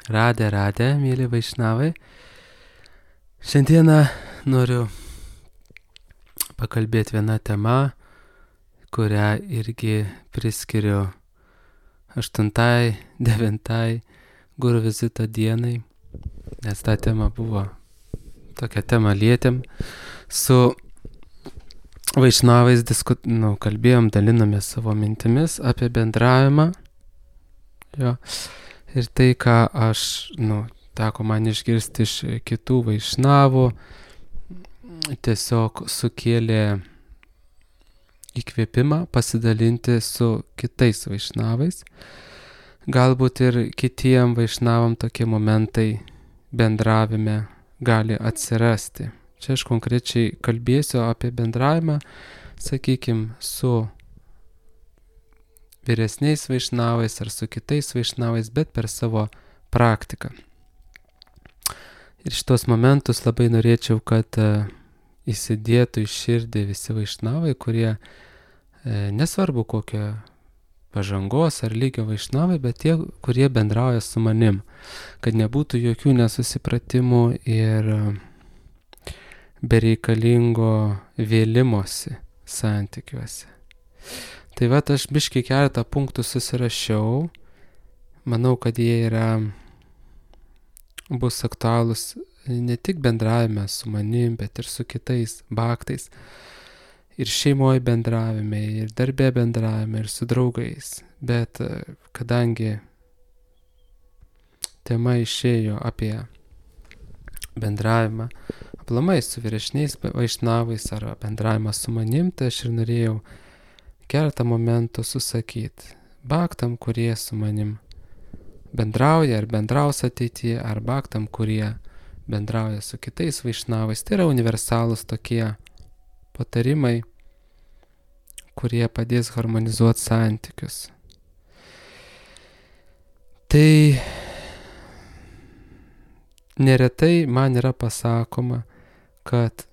Radę, mėly vaišnavai. Šiandieną noriu pakalbėti vieną temą, kurią irgi priskiriu 8-9 guru vizito dienai, nes ta tema buvo, tokia tema lietėm. Su vaišnavais kalbėjom, dalinomės savo mintimis apie bendravimą. Jo. Ir tai, ką aš, teko man išgirsti iš kitų vaišnavų, tiesiog sukėlė įkvėpimą pasidalinti su kitais vaišnavais. Galbūt ir kitiem vaišnavam tokie momentai bendravime gali atsirasti. Čia aš konkrečiai kalbėsiu apie bendravimą, sakykime, su vyresniais vaišnavais ar su kitais vaišnavais, bet per savo praktiką. Ir šitos momentus labai norėčiau, kad įsidėtų į širdį visi vaišnavai, kurie nesvarbu kokio pažangos ar lygio vaišnavai, bet tie, kurie bendrauja su manim, kad nebūtų jokių nesusipratimų ir bereikalingo vėlimosi santykiuose. Tai aš biškį keletą punktų susirašiau. Manau, kad jie bus aktualūs ne tik bendravime su manim, bet ir su kitais baktais. Ir šeimoje bendravime, ir darbe bendravime, ir su draugais. Bet kadangi tema išėjo apie bendravimą aplamai su vyresniais vaišnavais ar bendravimą su manim, tai aš ir norėjau keletą momentų susakyti baktam, kurie su manim bendrauja ar bendraus ateityje, ar baktam, kurie bendrauja su kitais vaišnavais. Tai yra universalūs tokie patarimai, kurie padės harmonizuoti santykius. Tai neretai man yra pasakoma, kad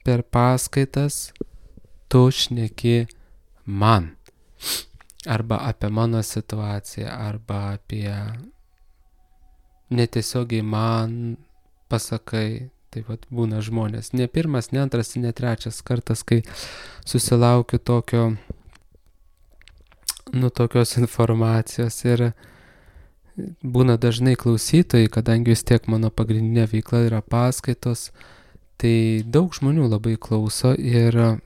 per paskaitas tu šneki man, arba apie mano situaciją, arba apie netiesiogiai man pasakai. Tai būna žmonės. Ne pirmas, ne antras, ne trečias kartas, kai susilaukiu tokios informacijos. Ir būna dažnai klausytojai, kadangi vis tiek mano pagrindinė veikla yra paskaitos, tai daug žmonių labai klauso ir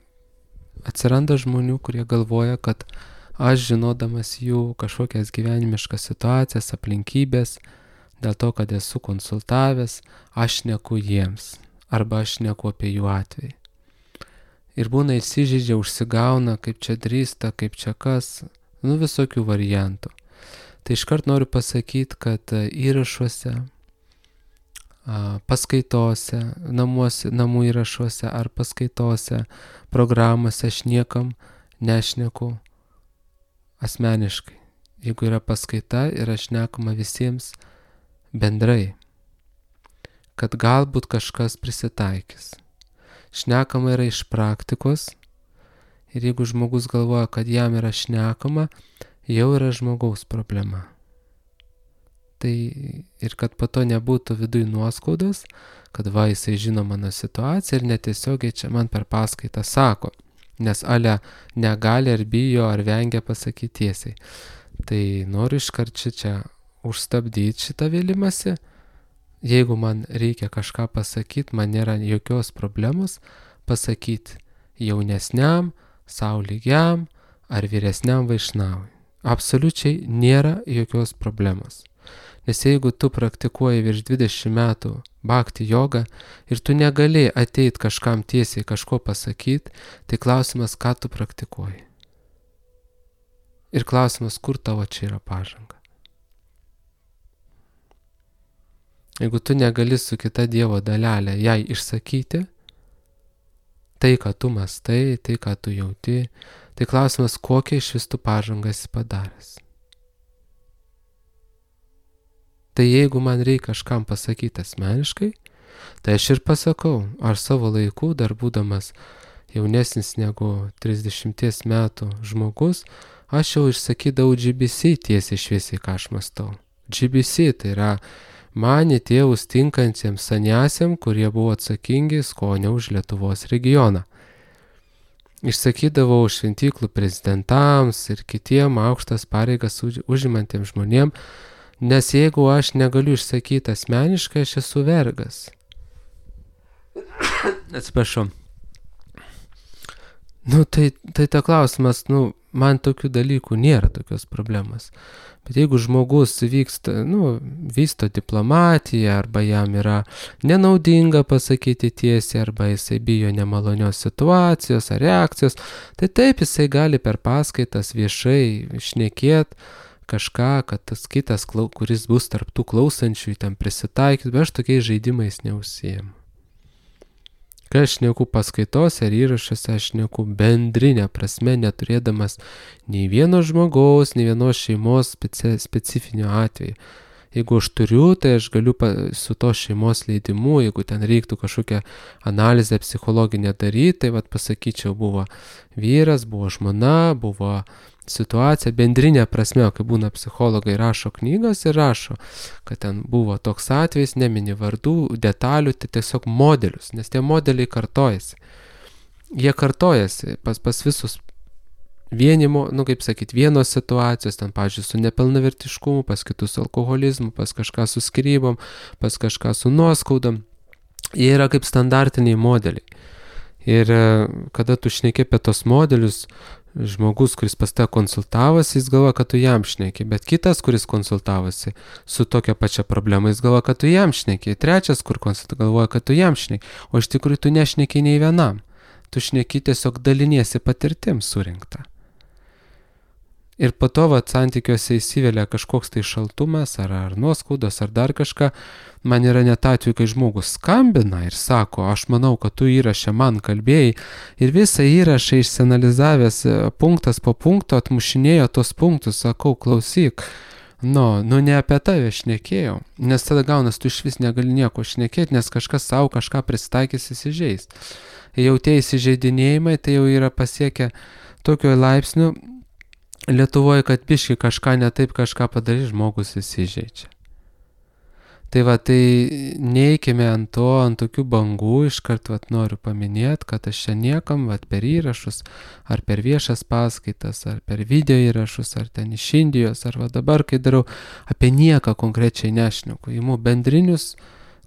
atsiranda žmonių, kurie galvoja, kad aš žinodamas jų kažkokias gyvenimiškas situacijas, aplinkybės, dėl to, kad esu konsultavęs, aš šneku jiems, arba aš šneku apie jų atvejį. Ir būna įsižeidžia, užsigauna, kaip čia drįsta, kaip čia kas, visokių variantų. Tai iškart noriu pasakyti, kad įrašuose, paskaitose, namų įrašuose ar paskaitose, programose aš niekam nešneku asmeniškai. Jeigu yra paskaita ir aš šnekama visiems bendrai, kad galbūt kažkas prisitaikys. Šnekama yra iš praktikos ir jeigu žmogus galvoja, kad jam yra šnekama, jau yra žmogaus problema. Tai ir kad po to nebūtų viduj nuoskaudos, kad jisai žino mano situaciją ir netiesiogiai čia man per paskaitą sako, nes negali ar bijo ar vengia pasakyti tiesiai. Tai noriu iškart čia užstabdyti šitą vėlimąsi. Jeigu man reikia kažką pasakyti, man nėra jokios problemos pasakyti jaunesniam, sau lygiam ar vyresniam vaišnavui. Absoliučiai nėra jokios problemos. Nes jeigu tu praktikuoji virš 20 metų bhakti jogą ir tu negali ateit kažkam tiesiai kažko pasakyti, tai klausimas, ką tu praktikuoji. Ir klausimas, kur tavo čia yra pažanga. Jeigu tu negali su kita Dievo dalelė jai išsakyti tai, ką tu mąstai, tai, ką tu jauti, tai klausimas, kokią iš vis tu pažangą esi padaręs. Tai jeigu man reikia kažkam pasakyti asmeniškai, tai aš ir pasakau, aš savo laiku, dar būdamas jaunesnis negu 30 metų žmogus, aš jau išsakydavau GBC tiesiai šviesiai, ką aš mąstau. GBC, tai yra manė tėvus tinkantiems saniasiam, kurie buvo atsakingi skonio už Lietuvos regioną. Išsakydavau šventyklų prezidentams ir kitiem aukštas pareigas užimantiems žmonėm, nes jeigu aš negaliu išsakyti asmeniškai, aš esu vergas. Atsiprašau. Tai ta klausimas, man tokių dalykų nėra, tokios problemos. Bet jeigu žmogus vysto diplomatiją, arba jam yra nenaudinga pasakyti tiesiai, arba jisai bijo nemalonios situacijos ar reakcijos, tai taip jisai gali per paskaitas viešai šnekėti kažką, kad tas kitas, kuris bus tarp tų klausančių, ten prisitaikyti, bet aš tokiais žaidimais neužsiimu. Kai aš šneku paskaitose ar įrašuose, aš šneku bendrinę prasme, neturėdamas nei vieno žmogaus, nei vienos šeimos specifinio atveju. Jeigu aš turiu, tai aš galiu su to šeimos leidimu, jeigu ten reiktų kažkokią analizę psichologinę daryti, tai pasakyčiau, buvo vyras, buvo žmona, buvo situacija, bendrinė prasme, kai būna psichologai rašo knygas ir rašo, kad ten buvo toks atvejis, nemini vardų, detalių, tai tiesiog modelius, nes tie modeliai kartojasi. Jie kartojasi pas visus vienimo, vienos situacijos, ten, pavyzdžiui, su nepilnavertiškumu, pas kitus su alkoholizmu, pas kažką su skyrybom, pas kažką su nuoskaudom. Jie yra kaip standartiniai modeliai. Ir kada tu šneki apie tos modelius, žmogus, kuris pas tave konsultavosi, jis galvoja, kad tu jam šneki, bet kitas, kuris konsultavosi su tokia pačia problema, jis galvoja, kad tu jam šneki, trečias, kur galvoja, kad tu jam šneki, o iš tikrųjų tu nešneki nei vienam, tu šneki tiesiog daliniesi patirtim surinktą. Ir po to santykiuose įsivelia kažkoks tai šaltumas, ar nuoskaudos, ar dar kažką. Man yra net atveju, kai žmogus skambina ir sako, aš manau, kad tu įrašę man kalbėjai, ir visą įrašą išsianalizavęs punktas po punkto atmušinėjo tos punktus, sakau, klausyk, ne apie tave šnekėjau, nes tada gaunas, tu iš vis negali nieko šnekėti, nes kažkas savo kažką prisitaikys įsižeis. Jau tie įsižeidinėjimai, tai jau yra pasiekę tokio laipsnių Lietuvoje, kad biški kažką ne taip, kažką padarys, žmogus įsižeidžia. Tai neikime ant tokių bangų, iškart noriu paminėti, kad aš čia niekam per įrašus, ar per viešas paskaitas, ar per video įrašus, ar ten iš Indijos, ar dabar, kai darau, apie nieką konkrečiai nešneku. Imu bendrinius,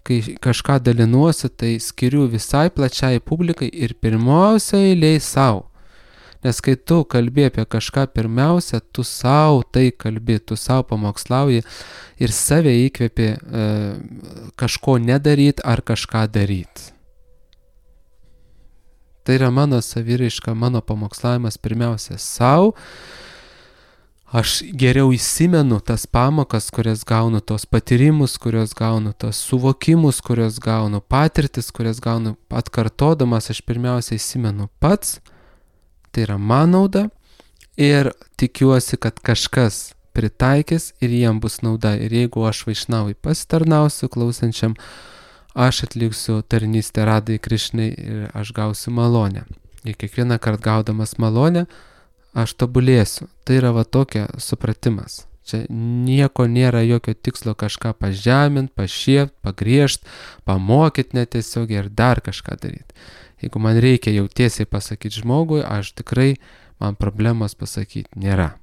kai kažką dalinuosi, tai skiriu visai plačiai publikai ir pirmiausia eilėj savo. Nes kai tu kalbi apie kažką pirmiausia, tu savo tai kalbi, tu savo pamokslauji ir save įkvėpi kažko nedaryti ar kažką daryti. Tai yra mano saviraiška, mano pamokslavimas pirmiausia savo. Aš geriau įsimenu tas pamokas, kurias gaunu, tos patyrimus, kurios gaunu, tos suvokimus, kurios gaunu, patirtis, kurias gaunu atkartodamas, aš pirmiausia įsimenu pats. Tai yra man nauda ir tikiuosi, kad kažkas pritaikys ir jiem bus nauda. Ir jeigu aš Vaišnavui pasitarnausiu klausančiam, aš atliksiu tarnystę Radai Krišnai ir aš gausiu malonę. Ir kiekvieną kartą gaudamas malonę, aš tobulėsiu. Tai yra tokia supratimas. Čia nieko nėra, jokio tikslo kažką pažemint, pašiept, pagriežt, pamokyt netiesiogiai ir dar kažką daryti. Jeigu man reikia jau tiesiai pasakyti žmogui, aš tikrai, man problemos pasakyti nėra.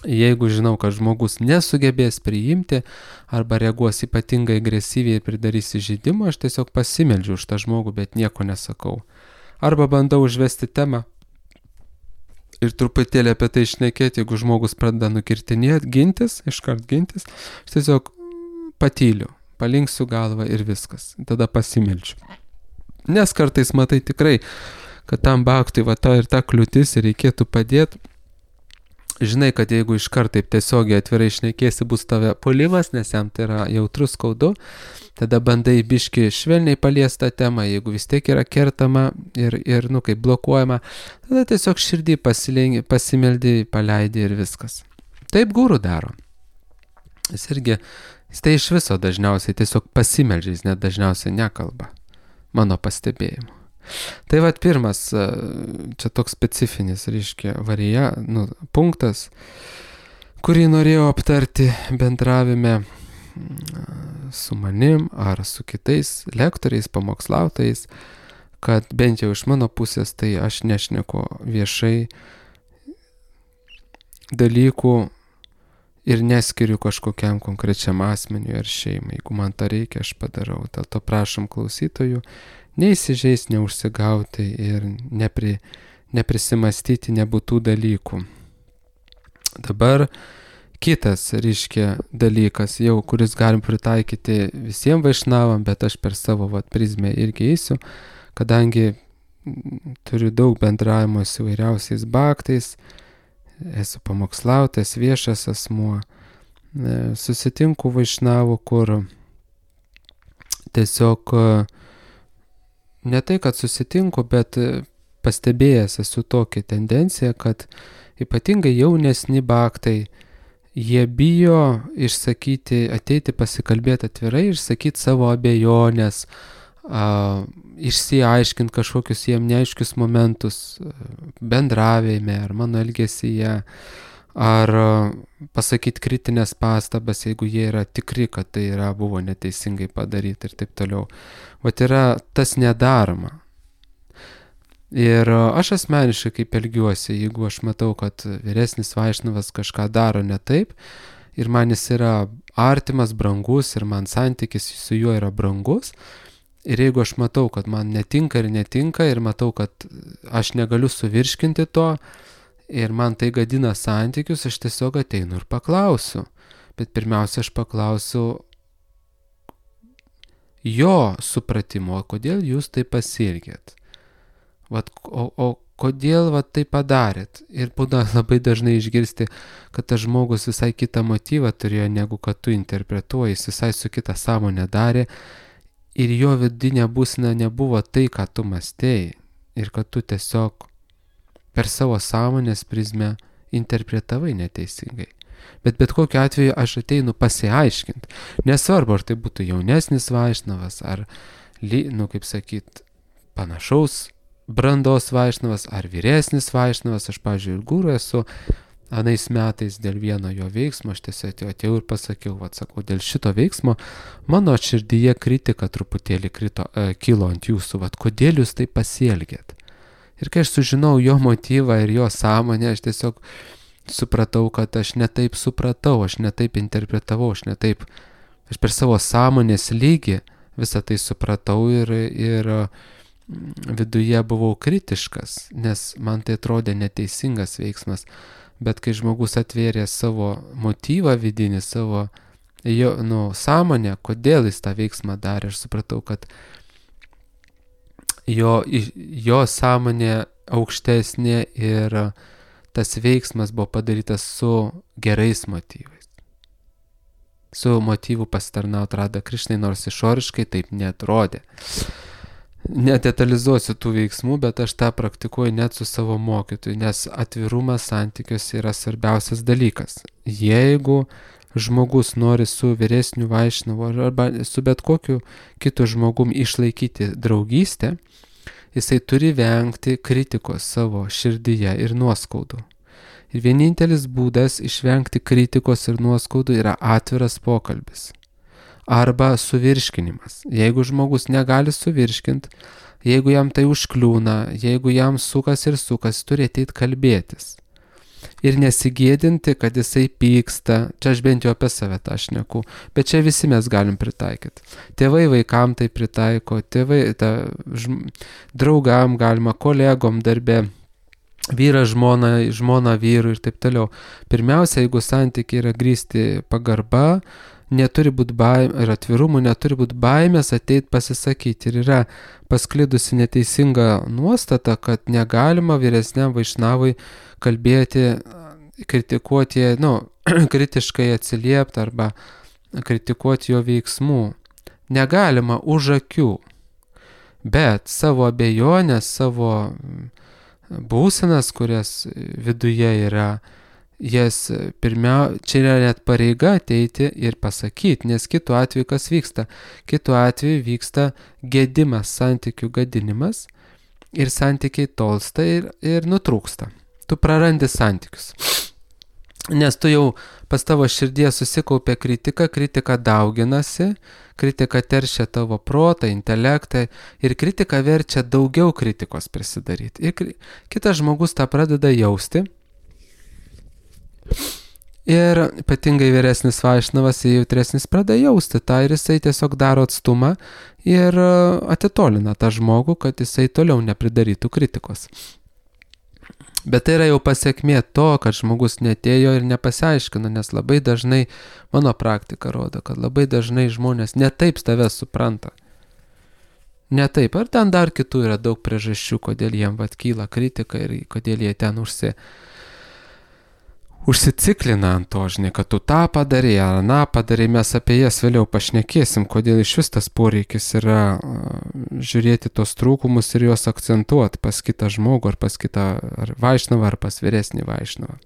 Jeigu žinau, kad žmogus nesugebės priimti arba reaguos ypatingai agresyviai ir pridarys įžeidimą, aš tiesiog pasimeldžiu už tą žmogų, bet nieko nesakau. Arba bandau užvesti temą ir truputėlį apie tai šnekėti, jeigu žmogus pradeda nukirtinėti, iškart gintis, aš tiesiog patyliu, palinksiu galvą ir viskas. Tada pasimeldžiu. Nes kartais matai tikrai, kad tam baktui ta ir ta kliūtis ir reikėtų padėti. Žinai, kad jeigu iškart taip tiesiogiai atvirai šnekėsi, bus tave puolimas, nes jam tai yra jautrus skaudu, tada bandai biški švelniai paliestą temą, jeigu vis tiek yra kertama ir kaip blokuojama, tada tiesiog širdį pasimeldi, paleidi ir viskas. Taip guru daro. Jis tai iš viso dažniausiai tiesiog pasimeldžia, jis net dažniausiai nekalba. Mano pastebėjimu. Tai pirmas, čia toks specifinis, punktas, kurį norėjau aptarti bendravime su manim ar su kitais lektoriais, pamokslautojais, kad bent jau iš mano pusės tai aš nešneku viešai dalykų ir neskiriu kažkokiam konkrečiam asmeniui ar šeimai. Jeigu man to reikia, aš padarau. Dėl to prašom klausytojų neįsižeis, neužsigauti ir neprisimastyti nebūtų dalykų. Dabar kitas, reiškia, dalykas jau, kuris galim pritaikyti visiems vaišnavam, bet aš per savo prizmę irgi eisiu, kadangi turiu daug bendravimo su įvairiausiais baktais, esu pamokslautas, viešas asmuo, susitinku vaišnavų, kur tiesiog ne tai, kad susitinku, bet pastebėjęs esu tokią tendenciją, kad ypatingai jaunesni baktai, jie bijo išsakyti, ateiti pasikalbėti atvirai, išsakyti savo abejonės, išsiaiškinti kažkokius jiem neaiškius momentus bendravime ar mano elgesyje, ar pasakyti kritinės pastabas, jeigu jie yra tikri, kad tai buvo neteisingai padaryti ir taip toliau. Vat yra tas nedaroma. Ir aš asmeniškai kaip elgiuosi, jeigu aš matau, kad vyresnis vaišnavas kažką daro ne taip ir man jis yra artimas, brangus ir man santykis su juo yra brangus, ir jeigu aš matau, kad man netinka ir matau, kad aš negaliu suvirškinti to ir man tai gadina santykius, aš tiesiog ateinu ir paklausiu. Bet pirmiausia, aš paklausiu jo supratimo, kodėl jūs taip pasielgėt. O kodėl tai padarėt? Ir būna labai dažnai išgirsti, kad tas žmogus visai kitą motyvą turėjo, negu kad tu interpretuoji, jis visai su kita sąmonė darė ir jo vidinė būsena nebuvo tai, ką tu mąstėjai ir kad tu tiesiog per savo sąmonės prizmę interpretavai neteisingai. Bet kokiu atveju aš ateinu pasiaiškinti. Nesvarbu, ar tai būtų jaunesnis vaišnavas, ar, kaip sakyt, panašaus brandos vaišnavas, ar vyresnis vaišnavas. Aš, pavyzdžiui, ir guru esu anais metais dėl vieno jo veiksmo, aš tiesiog atėjau ir pasakiau, sakau, dėl šito veiksmo mano širdyje kritika truputėlį kilo ant jūsų, kodėl jūs taip pasielgėt. Ir kai aš sužinau jo motyvą ir jo sąmonę, aš tiesiog supratau, kad aš netaip supratau, aš netaip interpretavau, aš per savo sąmonės lygį visą tai supratau ir viduje buvau kritiškas, nes man tai atrodė neteisingas veiksmas. Bet kai žmogus atvėrė savo motyvą vidinį, savo sąmonę, kodėl jis tą veiksmą darė, aš supratau, kad jo sąmonė aukštesnė ir tas veiksmas buvo padarytas su gerais motyvais. Su motyvu pasitarnauti Radha Krišnai, nors išoriškai taip neatrodė. Nedetalizuosiu tų veiksmų, bet aš tą praktikuoju net su savo mokytoju, nes atvirumas santykiuose yra svarbiausias dalykas. Jeigu žmogus nori su vyresniu vaišnavu arba su bet kokiu kitu žmogum išlaikyti draugystę, jisai turi vengti kritikos savo širdyje ir nuoskaudų. Ir vienintelis būdas išvengti kritikos ir nuoskaudų yra atviras pokalbis. Arba suvirškinimas. Jeigu žmogus negali suvirškinti, jeigu jam tai užkliūna, jeigu jam sukas, turi ateiti kalbėtis. Ir nesigėdinti, kad jisai pyksta. Čia aš bent jau apie save tą šneku, bet čia visi mes galim pritaikyti. Tėvai vaikam tai pritaiko, draugam galima, kolegom darbe, vyras žmona vyrui ir taip toliau. Pirmiausia, jeigu santykiai yra grįsti pagarba, neturi būti baimė ir atvirumų, neturi būti baimės ateiti pasisakyti. Ir yra pasklidusi neteisinga nuostata, kad negalima vyresniam vaišnavui kalbėti, kritikuoti, kritiškai atsiliepti arba kritikuoti jo veiksmų. Negalima už akių, bet savo abejonės, savo būsenas, kurias viduje yra, čia yra net pareiga ateiti ir pasakyti, nes kitu atveju kas vyksta? Kitu atveju vyksta gedimas, santykių gadinimas ir santykiai tolsta ir nutrūksta. Tu prarandi santykius. Nes tu jau pas tavo širdie susikaupia kritika dauginasi, kritika teršia tavo protą, intelektą ir kritika verčia daugiau kritikos prisidaryti. Ir kitas žmogus tą pradeda jausti. Ir ypatingai vyresnis vaišnavas, jautresnis pradeda jausti tą ir jisai tiesiog daro atstumą ir atitolina tą žmogų, kad jisai toliau nepridarytų kritikos. Bet tai yra jau pasiekmė to, kad žmogus netėjo ir nepasiaiškino, nes labai dažnai, mano praktika rodo, kad labai dažnai žmonės netaip tave supranta. Netaip, ar ten dar kitų yra daug priežasčių, kodėl jiem kyla kritika ir kodėl jie ten užsiciklina ant to, žinai, kad tu tą padarė, ar aną padarė, mes apie jas vėliau pašnekėsim, kodėl iš vis tas poreikis yra žiūrėti tos trūkumus ir juos akcentuoti pas kitą žmogų, ar pas kitą ar vaišnavą, ar pas vyresnį vaišnavą.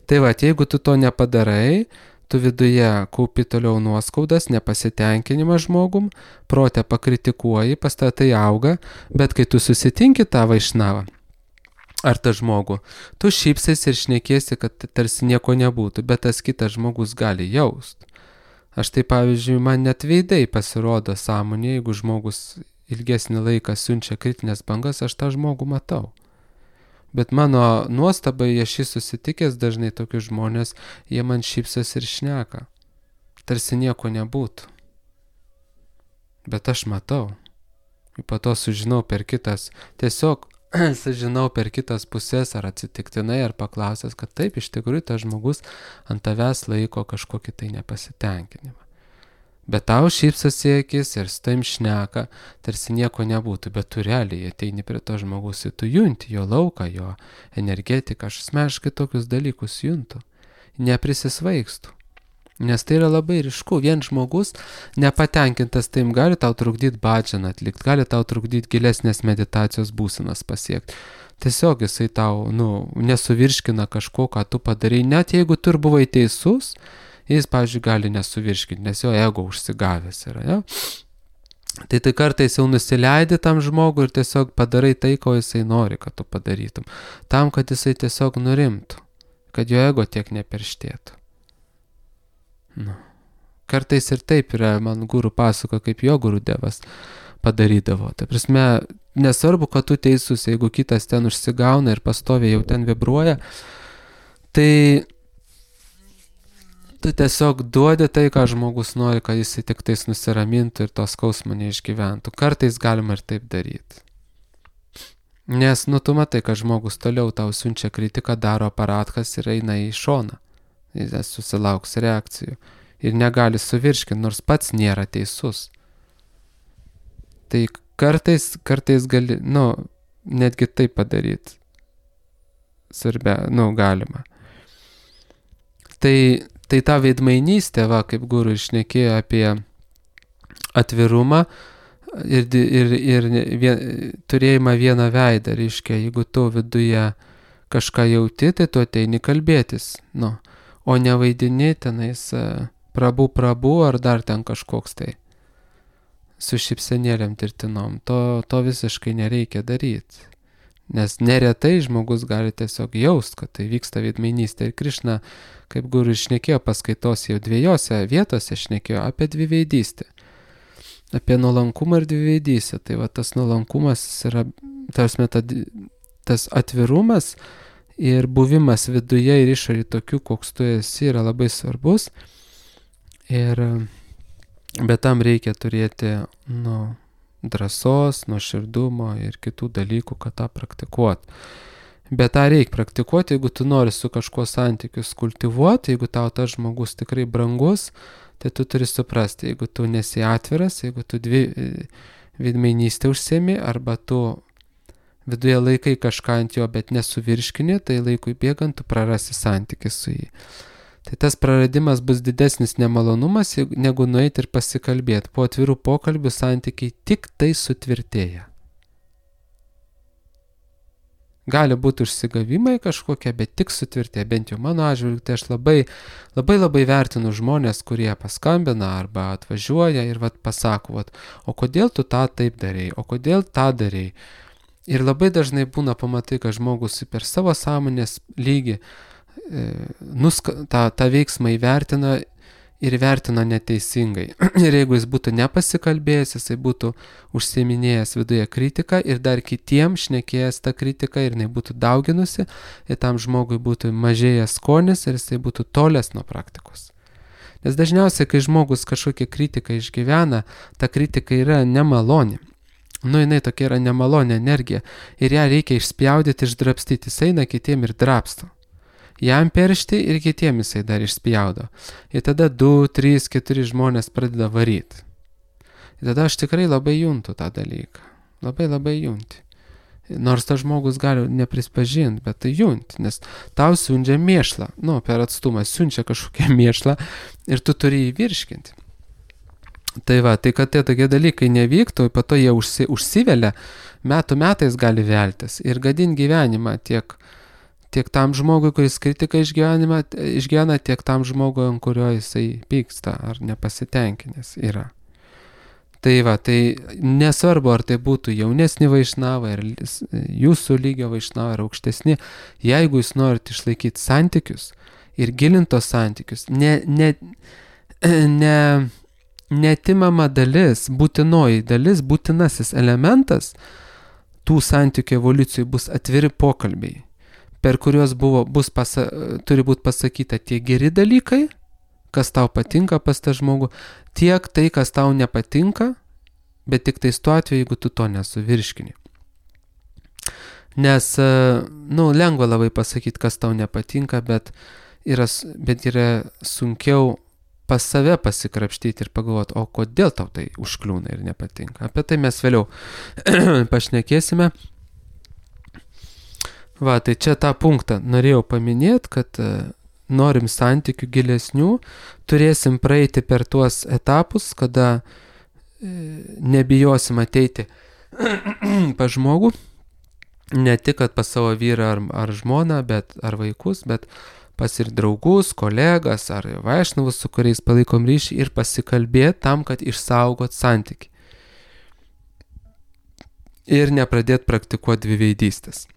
Tai va, jeigu tu to nepadarai, tu viduje kaupi toliau nuoskaudas, nepasitenkinimą žmogum, protę pakritikuoji, pas tai auga, bet kai tu susitinki tą vaišnavą, ar tą žmogų, tu šypsais ir šnekėsi, kad tarsi nieko nebūtų, bet tas kitas žmogus gali jaust. Aš tai pavyzdžiui, man net veidai pasirodo sąmonė, jeigu žmogus ilgesnį laiką siunčia kritinės bangas, aš tą žmogų matau. Bet mano nuostabai, aš jį susitikęs dažnai tokius žmonės, jie man šypsas ir šneka. Tarsi nieko nebūtų. Bet aš matau. Ir po to sužinau per kitas, tiesiog sužinau per kitas pusės ar atsitiktinai, ar paklausęs, kad taip, iš tikrųjų tas žmogus ant tavęs laiko kažkokį tai nepasitenkinimą. Bet tau šypsas į akis ir su taim šneka, tarsi nieko nebūtų, bet tu realiai ateini prie to žmogus ir tu junti jo lauką, jo energetiką, aš asmeniškai tokius dalykus juntu, neprisisvaigstu. Nes tai yra labai ryšku, vien žmogus nepatenkintas taim gali tau trukdyti badžianą atlikti, gali tau trukdyti gilesnės meditacijos būsenas pasiekti. Tiesiog jisai tau, nesuvirškina kažko, ką tu padarai, net jeigu tu ir buvai teisus, jis, pavyzdžiui, gali nesuvirškinti, nes jo ego užsigavęs yra, ja? Tai kartais jau nusileidi tam žmogui ir tiesiog padarai tai, ko jisai nori, kad tu padarytum. Tam, kad jisai tiesiog nurimtų, kad jo ego tiek neperštėtų. Kartais ir taip yra, man guru pasako, kaip jo guru devas padarydavo. Ta prasme, nesvarbu, kad tu teisus, jeigu kitas ten užsigauna ir pastoviai jau ten vibruoja, tai tu tiesiog duodi tai, ką žmogus nori, kad jis tik tais nusiramintų ir to skausmo neišgyventų. Kartais galima ir taip daryti. Nes, tu matai, kad žmogus toliau tau siunčia kritiką, daro aparatkas ir eina į šoną. Jis susilauks reakcijų ir negali suvirškinti, nors pats nėra teisus. Tai kartais gali, netgi taip padaryti. Galima. Tai ta veidmainystė, kaip guru išnekėjo apie atvirumą ir turėjimą vieną veidą, reiškia, jeigu tu viduje kažką jauti, tai tu ateini kalbėtis, o nevaidini tenais prabu ar dar ten kažkoks tai su šypsenėlėm tirtinom. To visiškai nereikia daryti. Nes neretai žmogus gali tiesiog jaust, kad tai vyksta veidmainystė. Ir Krišna, kaip guru šnekėjo paskaitos jau dviejose vietose, šnekėjo apie dviveidystę. Apie nuolankumą ir dviveidystę. Tai va tas nuolankumas yra, tas atvirumas ir buvimas viduje ir išorėje tokių, koks tu esi, yra labai svarbus. Bet tam reikia turėti, drąsos, nuoširdumo ir kitų dalykų, kad tą praktikuoti. Bet tą reikia praktikuoti, jeigu tu nori su kažkuo santykius kultivuoti, jeigu tau tas žmogus tikrai brangus, tai tu turi suprasti, jeigu tu nesi atviras, jeigu tu veidmainystę užsiemi, arba tu viduje laikai kažką ant jo, bet nesuvirškini, tai laikui bėgant tu prarasi santykį su jį. Tai tas praradimas bus didesnis nemalonumas, negu nueiti ir pasikalbėti. Po atvirų pokalbių santykiai tik tai sutvirtėja. Gali būti užsigavimai kažkokie, bet tik sutvirtėja. Bent jau mano atžvilgiu, tai aš labai vertinu žmonės, kurie paskambina arba atvažiuoja ir pasako, o kodėl tu tą taip darei, o kodėl tą darei. Ir labai dažnai būna pamatai, kad žmogus per savo sąmonės lygį tą veiksmą įvertina ir vertino neteisingai. Ir jeigu jis būtų nepasikalbėjęs, jisai būtų užsiiminėjęs viduje kritiką ir dar kitiem šnekėjęs tą kritiką ir jinai būtų dauginusi, ir tam žmogui būtų mažėjęs skonis ir jisai būtų tolęs nuo praktikos. Nes dažniausiai, kai žmogus kažkokią kritiką išgyvena, ta kritika yra nemaloni. Jinai tokia yra nemalonė energija ir ją reikia išspjaudyti, išdrapstyti. Jis eina kitiem ir drapsto. Jam peršti ir kitiem jisai dar išspjaudo. Ir tada 2, 3, 4 žmonės pradeda varyti. Ir tada aš tikrai labai juntu tą dalyką. Labai junti. Nors tas žmogus gali neprispažinti, bet tai junti, nes tau siunčia mėšlą. Per atstumą siunčia kažkokią mėšlą ir tu turi jį virškinti. Tai kad tie tokie dalykai nevyktų, po to jie užsivelia, metais gali veltis ir gadinti gyvenimą tiek tam žmogui, kuris kritiką išgyvena, tiek tam žmogui, ant kurio jisai pyksta ar nepasitenkinęs yra. Tai nesvarbu, ar tai būtų jaunesni vaišnavai, ar jūsų lygio vaišnavai, ar aukštesni, jeigu jūs norite išlaikyti santykius ir gilinti tos santykius, neatimama dalis, būtinoji dalis, būtinasis elementas tų santykių evoliucijų bus atviri pokalbiai, per kuriuos turi būti pasakyta tie geri dalykai, kas tau patinka pas tą žmogų, tiek tai, kas tau nepatinka, bet tik tais tuo atveju, jeigu tu to nesuvirškini. Nes, lengva labai pasakyti, kas tau nepatinka, bet yra sunkiau pas save pasikrapštyti ir pagalvoti, o kodėl tau tai užkliūna ir nepatinka. Apie tai mes vėliau pašnekėsime. Tai čia tą punktą norėjau paminėti, kad norim santykių gilesnių, turėsim praeiti per tuos etapus, kada nebijosim ateiti pas žmogų, ne tik pas savo vyrą ar žmoną, ar vaikus, bet pas ir draugus, kolegas ar vaišnavus, su kuriais palaikom ryšį ir pasikalbėti tam, kad išsaugot santykį. Ir nepradėti praktikuoti dviveidystės.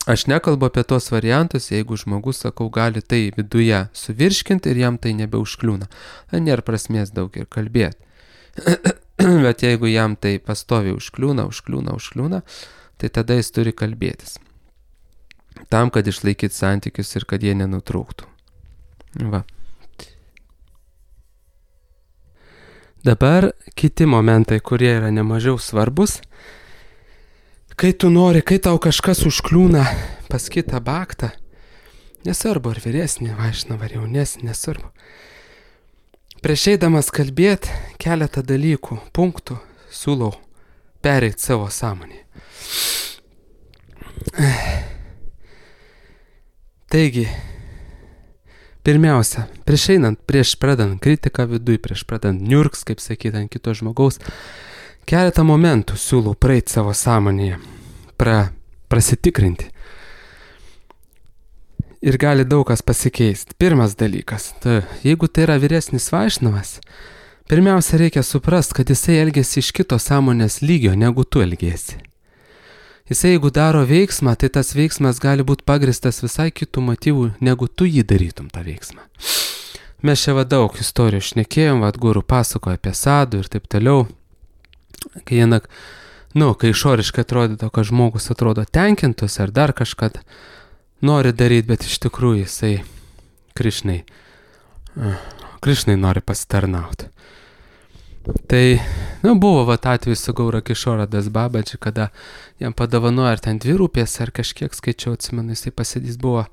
Aš nekalbu apie tos variantus, jeigu žmogus, sakau, gali tai viduje suvirškinti ir jam tai nebeužkliūna. Nėra prasmės daug ir kalbėti. Bet jeigu jam tai pastoviai užkliūna, tai tada jis turi kalbėtis. Tam, kad išlaikyti santykius ir kad jie nenutrūktų. Dabar kiti momentai, kurie yra nemažiau svarbus. Kai tau kažkas užkliūna pas kitą baktą, nesvarbu ar vyresnį vaišnavą ar jaunesnį, nesvarbu. Prieš eidamas kalbėti keletą dalykų, punktų, siūlau pereiti savo sąmonį. Taigi, pirmiausia, prieš pradant kritiką viduj, prieš pradant niurks, kaip sakyti, ant kito žmogaus, keletą momentų siūlau praeiti savo sąmonėje, prasitikrinti. Ir gali daug kas pasikeisti. Pirmas dalykas, jeigu tai yra vyresnis vaišnavas, pirmiausia reikia suprasti, kad jisai elgiasi iš kito sąmonės lygio, negu tu elgiesi. Jisai jeigu daro veiksmą, tai tas veiksmas gali būti pagristas visai kitų motyvų, negu tu jį darytum tą veiksmą. Mes čia daug istorijų šnekėjom, guru pasakojo apie sadų ir taip toliau. Kai išoriškai atrodo, kad žmogus atrodo tenkintus ar dar kažką nori daryti, bet iš tikrųjų jisai Krišnai nori pasitarnauti. Tai, buvo atveju su Gaura Kišora Das Babaji, kada jam padovanojo ar ten 2 rūpės, ar kažkiek skaičiau, atsimenu, jisai pasidys buvo,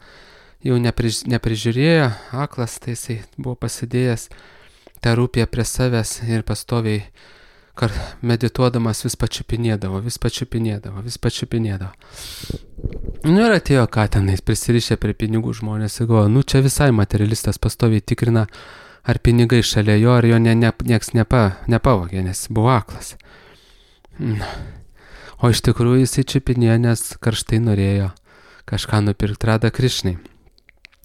jau neprižiūrėjo, aklas, tai jisai buvo pasidėjęs tą rūpę prie savęs ir pastoviai medituodamas vis pačiupinėdavo. Ir atėjo ką tenais, prisirišę prie pinigų žmonės ir galvojo, čia visai materialistas pastoviai tikrina, ar pinigai šalia jo, ar jo nieks nepavogė, nes buvo aklas. O iš tikrųjų jisai čiupinėjo, nes karštai norėjo kažką nupirkti Radha Krišnai.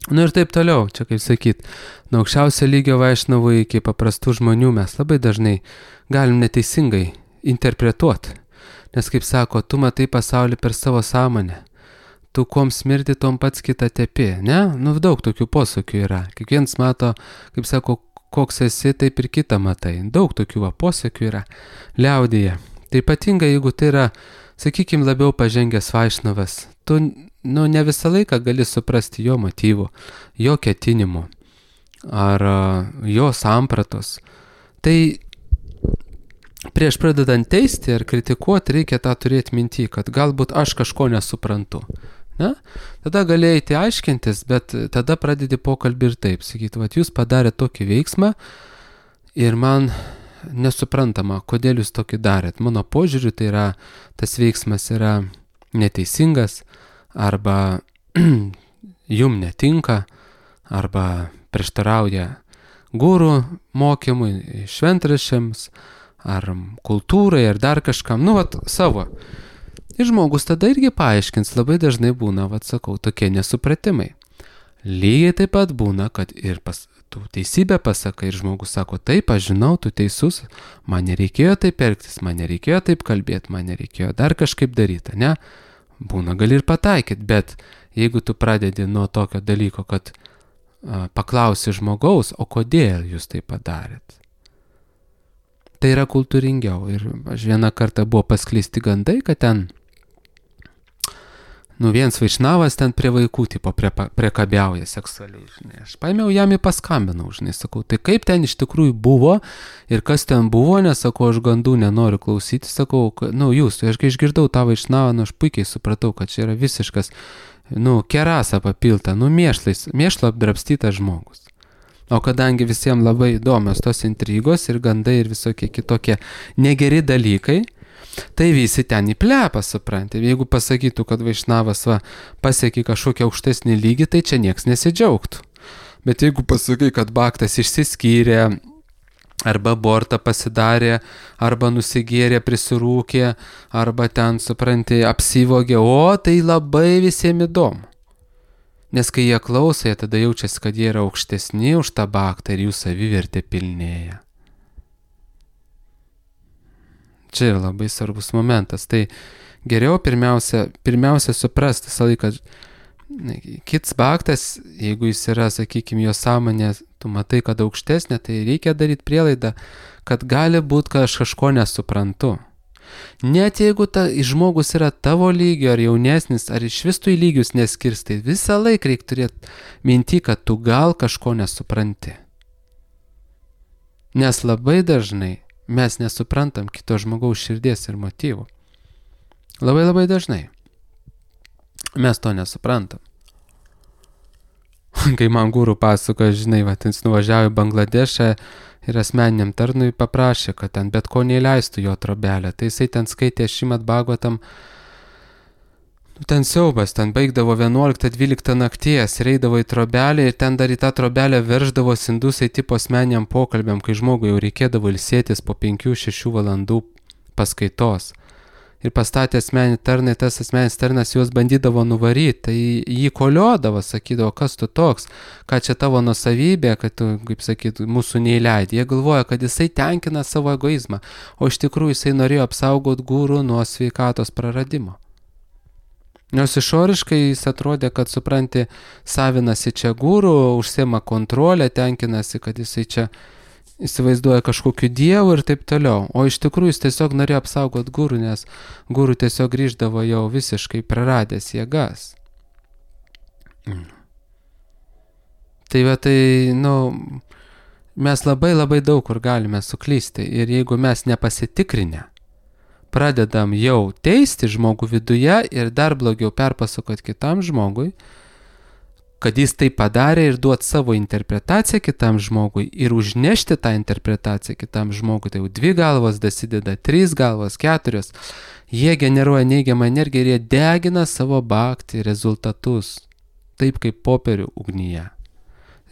Ir taip toliau, čia kaip sakyt, nuo aukščiausio lygio vaišnavų iki paprastų žmonių mes labai dažnai galim neteisingai interpretuoti. Nes kaip sako, tu matai pasaulį per savo sąmonę. tu kuom smirdi, tom pats kitą tepi, ne? Nu, daug tokių posakių yra. Kiekvienas mato, kaip sako, koks esi, taip ir kitą matai. Daug tokių posakių yra liaudyje. Tai ypatingai, jeigu tai yra, sakykime, labiau pažengęs vaišnavas, tu ne visą laiką gali suprasti jo motyvų, jo ketinimų ar jo sampratos. Tai prieš pradedant teisti ar kritikuoti reikia tą turėti minty, kad galbūt aš kažko nesuprantu. Ne? Tada gali eiti aiškintis, bet tada pradedi pokalbį ir taip, sakyti, jūs padarėte tokį veiksmą ir man nesuprantama, kodėl jūs tokį darėt. Mano požiūriu tai yra, tas veiksmas yra neteisingas, arba jum netinka, arba prieštarauja gurų mokymui, šventraščiams, ar kultūrai, ar dar kažkam, savo. Ir žmogus tada irgi paaiškins, labai dažnai būna, sakau, tokie nesupratimai. Lygiai taip pat būna, kad ir tu teisybę pasakai ir žmogus sako, taip, aš žinau, tu teisus, man nereikėjo taip elgtis, man nereikėjo taip kalbėti, man nereikėjo dar kažkaip daryti, ne? Būna, gali ir pataikyti, bet jeigu tu pradedi nuo tokio dalyko, kad paklausi žmogaus, o kodėl jūs tai padarėt? Tai yra kultūringiau. Ir aš vieną kartą buvo paskleisti gandai, kad ten, vienas vaišnavas ten prie vaikų tipo priekabiauja seksualiai, žinai. Aš paėmiau jam ir paskambinau, žinai, sakau, tai kaip ten iš tikrųjų buvo ir kas ten buvo, nes sakau, aš gandų nenoriu klausyti, sakau, jūs, aš kai išgirdau tą vaišnavą, aš puikiai supratau, kad čia yra visiškas, kerasa papilta, mėšlo apdrabstytas žmogus. O kadangi visiems labai įdomios tos intrigos ir gandai ir visokie kitokie negeri dalykai, tai visi ten įplepa, supranti. Jeigu pasakytų, kad vaišnavas pasiekė kažkokią aukštesnį lygį, tai čia nieks nesidžiaugtų. Bet jeigu pasakai, kad baktas išsiskyrė, arba abortą pasidarė, arba nusigėrė, prisirūkė, arba ten, supranti, apsivogė, tai labai visiems įdomu. Nes kai jie klauso, jie tada jaučiasi, kad jie yra aukštesni už tą baktą ir jų savivertė pilnėja. Čia yra labai svarbus momentas. Tai geriau pirmiausia suprasti visą laiką, kits baktas, jeigu jis yra, sakykime, jo sąmonė, tu matai, kad aukštesnė, tai reikia daryti prielaidą, kad gali būti, kad aš kažko nesuprantu. Net jeigu žmogus yra tavo lygio ar jaunesnis, ar iš vis tu į lygius neskirstai, visą laiką reikia turėti minty, kad tu gal kažko nesupranti. Nes labai dažnai mes nesuprantam kito žmogaus širdies ir motyvų. Labai labai dažnai. Mes to nesuprantam. Kai man guru pasakoja, žinai, jis nuvažiavo į Bangladešą ir asmeniniam tarnui paprašė, kad ten bet ko neįleistų jo trobelę. Tai jisai ten skaitė Šrimad Bhagavatam, ten siaubas, ten baigdavo 11-12 nakties, eidavo į trobelę ir ten dar į tą trobelę verždavo indusai tipo asmeniniam pokalbiam, kai žmogui jau reikėdavo ilsėtis po 5-6 valandų paskaitos. Ir pastatė asmeninį tarną, tas asmeninis tarnas juos bandydavo nuvaryti, tai jį koliodavo, sakydavo, kas tu toks, ką čia tavo nuosavybė, kad tu, kaip sakyt, mūsų neįleidai. Jie galvoja, kad jisai tenkina savo egoizmą, o iš tikrųjų jisai norėjo apsaugoti gurų nuo sveikatos praradimo. Nors išoriškai jis atrodė, kad, supranti, savinasi čia gurų, užsiema kontrolę, tenkinasi, kad jisai čia įsivaizduoja kažkokiu dievu ir taip toliau. O iš tikrųjų jis tiesiog norėjo apsaugoti gurų, nes gurų tiesiog grįždavo jau visiškai praradęs jėgas. Mes labai labai daug kur galime suklysti ir jeigu mes nepasitikrinę, pradedam jau teisti žmogų viduje ir dar blogiau perpasakoti kitam žmogui, kad jis tai padarė ir duot savo interpretaciją kitam žmogui ir užnešti tą interpretaciją kitam žmogui, tai jau 2 galvos dasideda, 3 galvos, 4, jie generuoja neigiamą energiją ir jie degina savo bhakti rezultatus, taip kaip popierių ugnyje.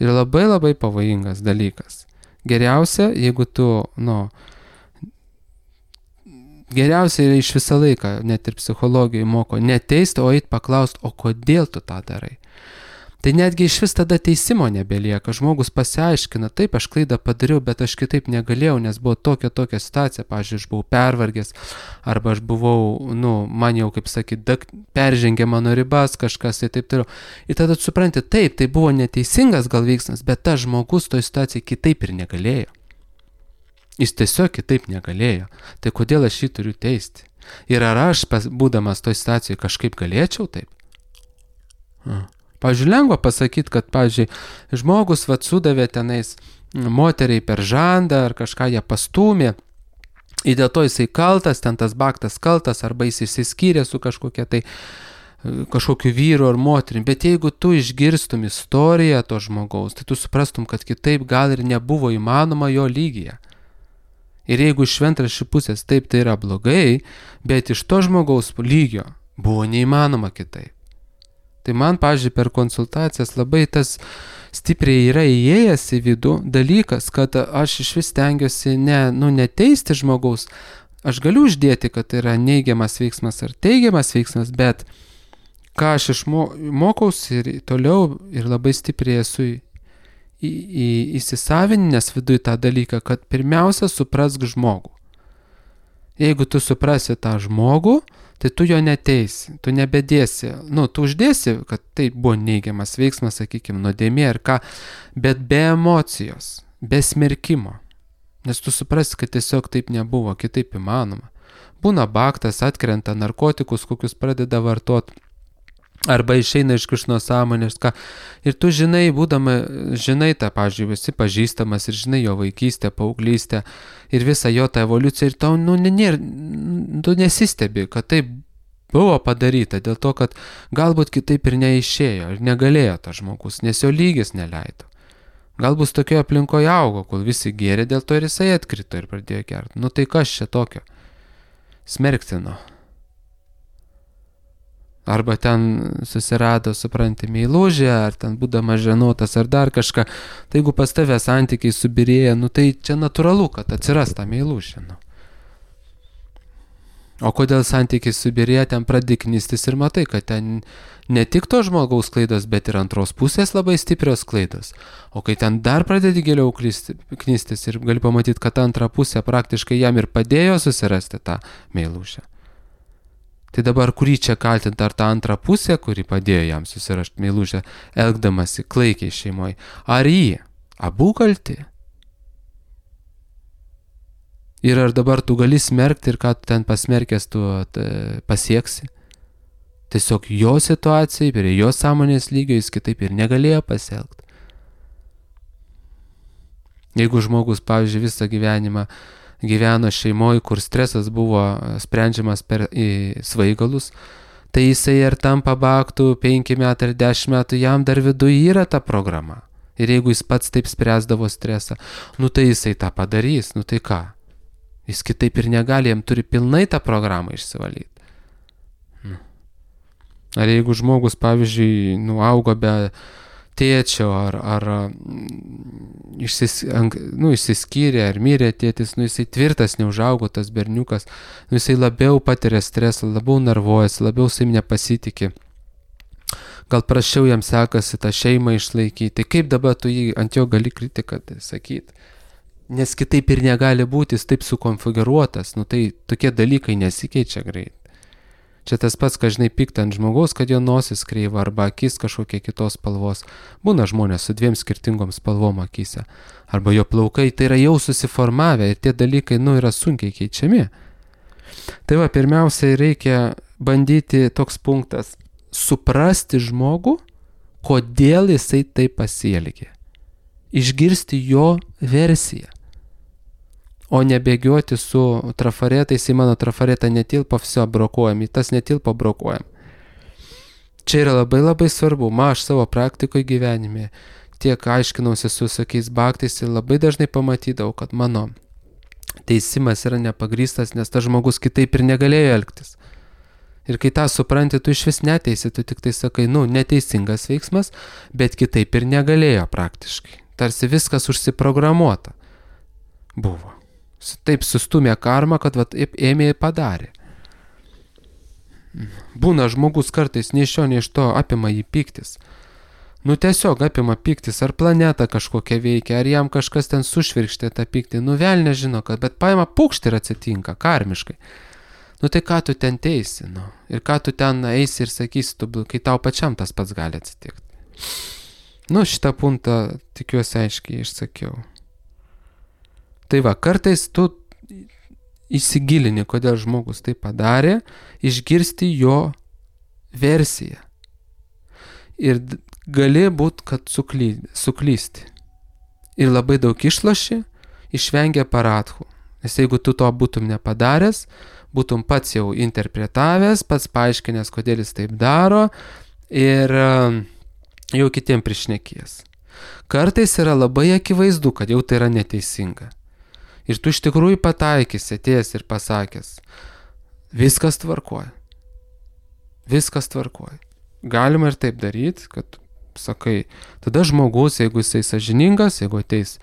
Ir labai labai pavojingas dalykas. Geriausia, jeigu tu, geriausia yra iš visą laiką, net ir psichologijai moko, neteisti, o eit paklausti, o kodėl tu tą darai. Tai netgi iš vis tada teisimo nebelieka. Žmogus pasiaiškina, taip, aš klaidą padariau, bet aš kitaip negalėjau, nes buvo tokia situacija. Pavyzdžiui, aš buvau pervargęs, arba aš buvau, man jau, kaip sakyti, peržengė mano ribas kažkas ir taip toliau. Ir tada supranti, taip, tai buvo neteisingas gal veiksmas, bet tas žmogus toj situacijai kitaip ir negalėjo. Jis tiesiog kitaip negalėjo. Tai kodėl aš jį turiu teisti? Ir ar aš, būdamas toj situacijai, kažkaip galėčiau taip? Pavyzdžiui, lengva pasakyti, kad, pavyzdžiui, žmogus sudavė tenais moteriai per žandą ar kažką ją pastūmė ir dėl to jisai kaltas, ten tas baktas kaltas, arba jis išsiskyrė su kažkokiu vyru ar moterim. Bet jeigu tu išgirstum istoriją to žmogaus, tai tu suprastum, kad kitaip gal ir nebuvo įmanoma jo lygyje. Ir jeigu iš šventraščių pusės taip tai yra blogai, bet iš to žmogaus lygio buvo neįmanoma kitaip. Tai man, pavyzdžiui, per konsultacijas labai tas stipriai yra įėjęs į vidų dalykas, kad aš iš vis stengiuosi neteisti žmogaus. Aš galiu uždėti, kad tai yra neigiamas veiksmas ar teigiamas veiksmas, bet ką aš išmokausi ir toliau ir labai stipriai esu įsisavininęs viduje tą dalyką, kad pirmiausia suprask žmogų. Jeigu tu suprasi tą žmogų, tai tu jo neteisi, tu nebedėsi, tu uždėsi, kad tai buvo neigiamas veiksmas, sakykime, nuodėmė ar ką, bet be emocijos, be smerkimo. Nes tu suprasi, kad tiesiog taip nebuvo, kitaip įmanoma. Būna baktas, atkrenta, narkotikus, kokius pradeda vartot, arba išeina iš kažkokios sąmonės, ką. Ir tu žinai, žinai tą, pavyzdžiui, esi pažįstamas ir žinai jo vaikystę, paauglystę ir visą jo tą evoliuciją ir tau, tu nesistebi, kad taip buvo padaryta, dėl to, kad galbūt kitaip ir neišėjo ir negalėjo tas žmogus, nes jo lygis neleido. Galbūt tokioje aplinkoje augo, kol visi gėrė, dėl to ir jisai atkrito ir pradėjo gerti. Tai kas čia tokio? Smerktino. Arba ten susirado, supranti, meilužę, ar ten būdamas ženotas, ar dar kažką. Tai jeigu pas tave santykiai subirėja, tai čia natūralu, kad atsiras ta meilužė. O kodėl santykiai subirėja, ten pradedi knistis ir matai, kad ten ne tik to žmogaus klaidos, bet ir antros pusės labai stiprios klaidos. O kai ten dar pradedi giliau knistis ir gali pamatyti, kad antra pusė praktiškai jam ir padėjo susirasti tą meilužę. Tai dabar kurį čia kaltinti, ar tą antrą pusę, kuri padėjo jam susirašti meilužę, elgdamasi klaikiai šeimoje, ar jį? Abu kalti? Ir ar dabar tu gali smerkti ir ką tu ten pasmerkęs tu pasieksi? Tiesiog jo situacijai, prie jo sąmonės lygio jis kitaip ir negalėjo pasielgti. Jeigu žmogus, pavyzdžiui, visą gyvenimą gyveno šeimoje, kur stresas buvo sprendžiamas per svaigalus, tai jisai ir tampa baktų 5 metų ar 10 metų, jam dar viduje yra ta programa. Ir jeigu jis pats taip spręsdavo stresą, tai jisai tą padarys, tai ką? Jis kitaip ir negali, jam turi pilnai tą programą išsivalyti. Ar jeigu žmogus, pavyzdžiui, augo be tėčio, ar išsiskyrė, ar mirė tėtis, jisai tvirtas neužaugo tas berniukas, jisai labiau patiria stresą, labiau nervuojasi, labiau savim nepasitikė. Gal prašiau jam sekasi tą šeimą išlaikyti, tai kaip dabar tu jį ant jo gali kritiką sakyti? Nes kitaip ir negali būti, jis taip sukonfigūruotas, tai tokie dalykai nesikeičia greit. Čia tas pats, kad žinai, pikta ant žmogaus, kad jo nosis kreiva arba akis kažkokie kitos spalvos. Būna žmonės su 2 skirtingom spalvom akise. Arba jo plaukai, tai yra jau susiformavę ir tie dalykai, yra sunkiai keičiami. Tai pirmiausiai reikia bandyti toks punktas, suprasti žmogų, kodėl jisai taip pasielgė. Išgirsti jo versiją. O nebėgioti su trafaretais, į mano trafaretą netilpo, viso brokuojam, į tas netilpo brokuojam. Čia yra labai labai svarbu, aš savo praktikoje gyvenime tiek aiškinausi su visokiais baktais ir labai dažnai pamatydavau, kad mano teisimas yra nepagrįstas, nes tas žmogus kitaip ir negalėjo elgtis. Ir kai tą supranti, tu iš vis neteisi, tu tik tai sakai, neteisingas veiksmas, bet kitaip ir negalėjo praktiškai. Tarsi viskas užsiprogramuota buvo. Taip sustumė karmą, kad ėmė ir padarė. Būna žmogus kartais nei iš šio, nei iš to apima jį piktis. Nu tiesiog apima pyktis, ar planeta kažkokia veikia, ar jam kažkas ten sušvirkštė tą pyktį, nu vėl nežino, kad, bet paima pukšt ir atsitinka, karmiškai. Nu tai ką tu ten teisi, nu, ir ką tu ten eisi ir sakysi, kai tau pačiam tas pats gali atsitikti. Nu šitą punktą tikiuosi aiškiai išsakiau. Tai va, kartais tu įsigilini, kodėl žmogus tai padarė, išgirsti jo versiją. Ir gali būt, kad suklysti. Ir labai daug išloši, išvengia paradhų. Nes jeigu tu to būtum nepadaręs, būtum pats jau interpretavęs, pats paaiškinęs, kodėl jis taip daro ir jau kitiem prišnekės. Kartais yra labai akivaizdu, kad jau tai yra neteisinga. Ir tu iš tikrųjų pataikysi, atėjęs ir pasakęs, viskas tvarkoja. Viskas tvarkoja. Galima ir taip daryti, kad sakai, tada žmogus, jeigu jisai sąžiningas, jeigu ateis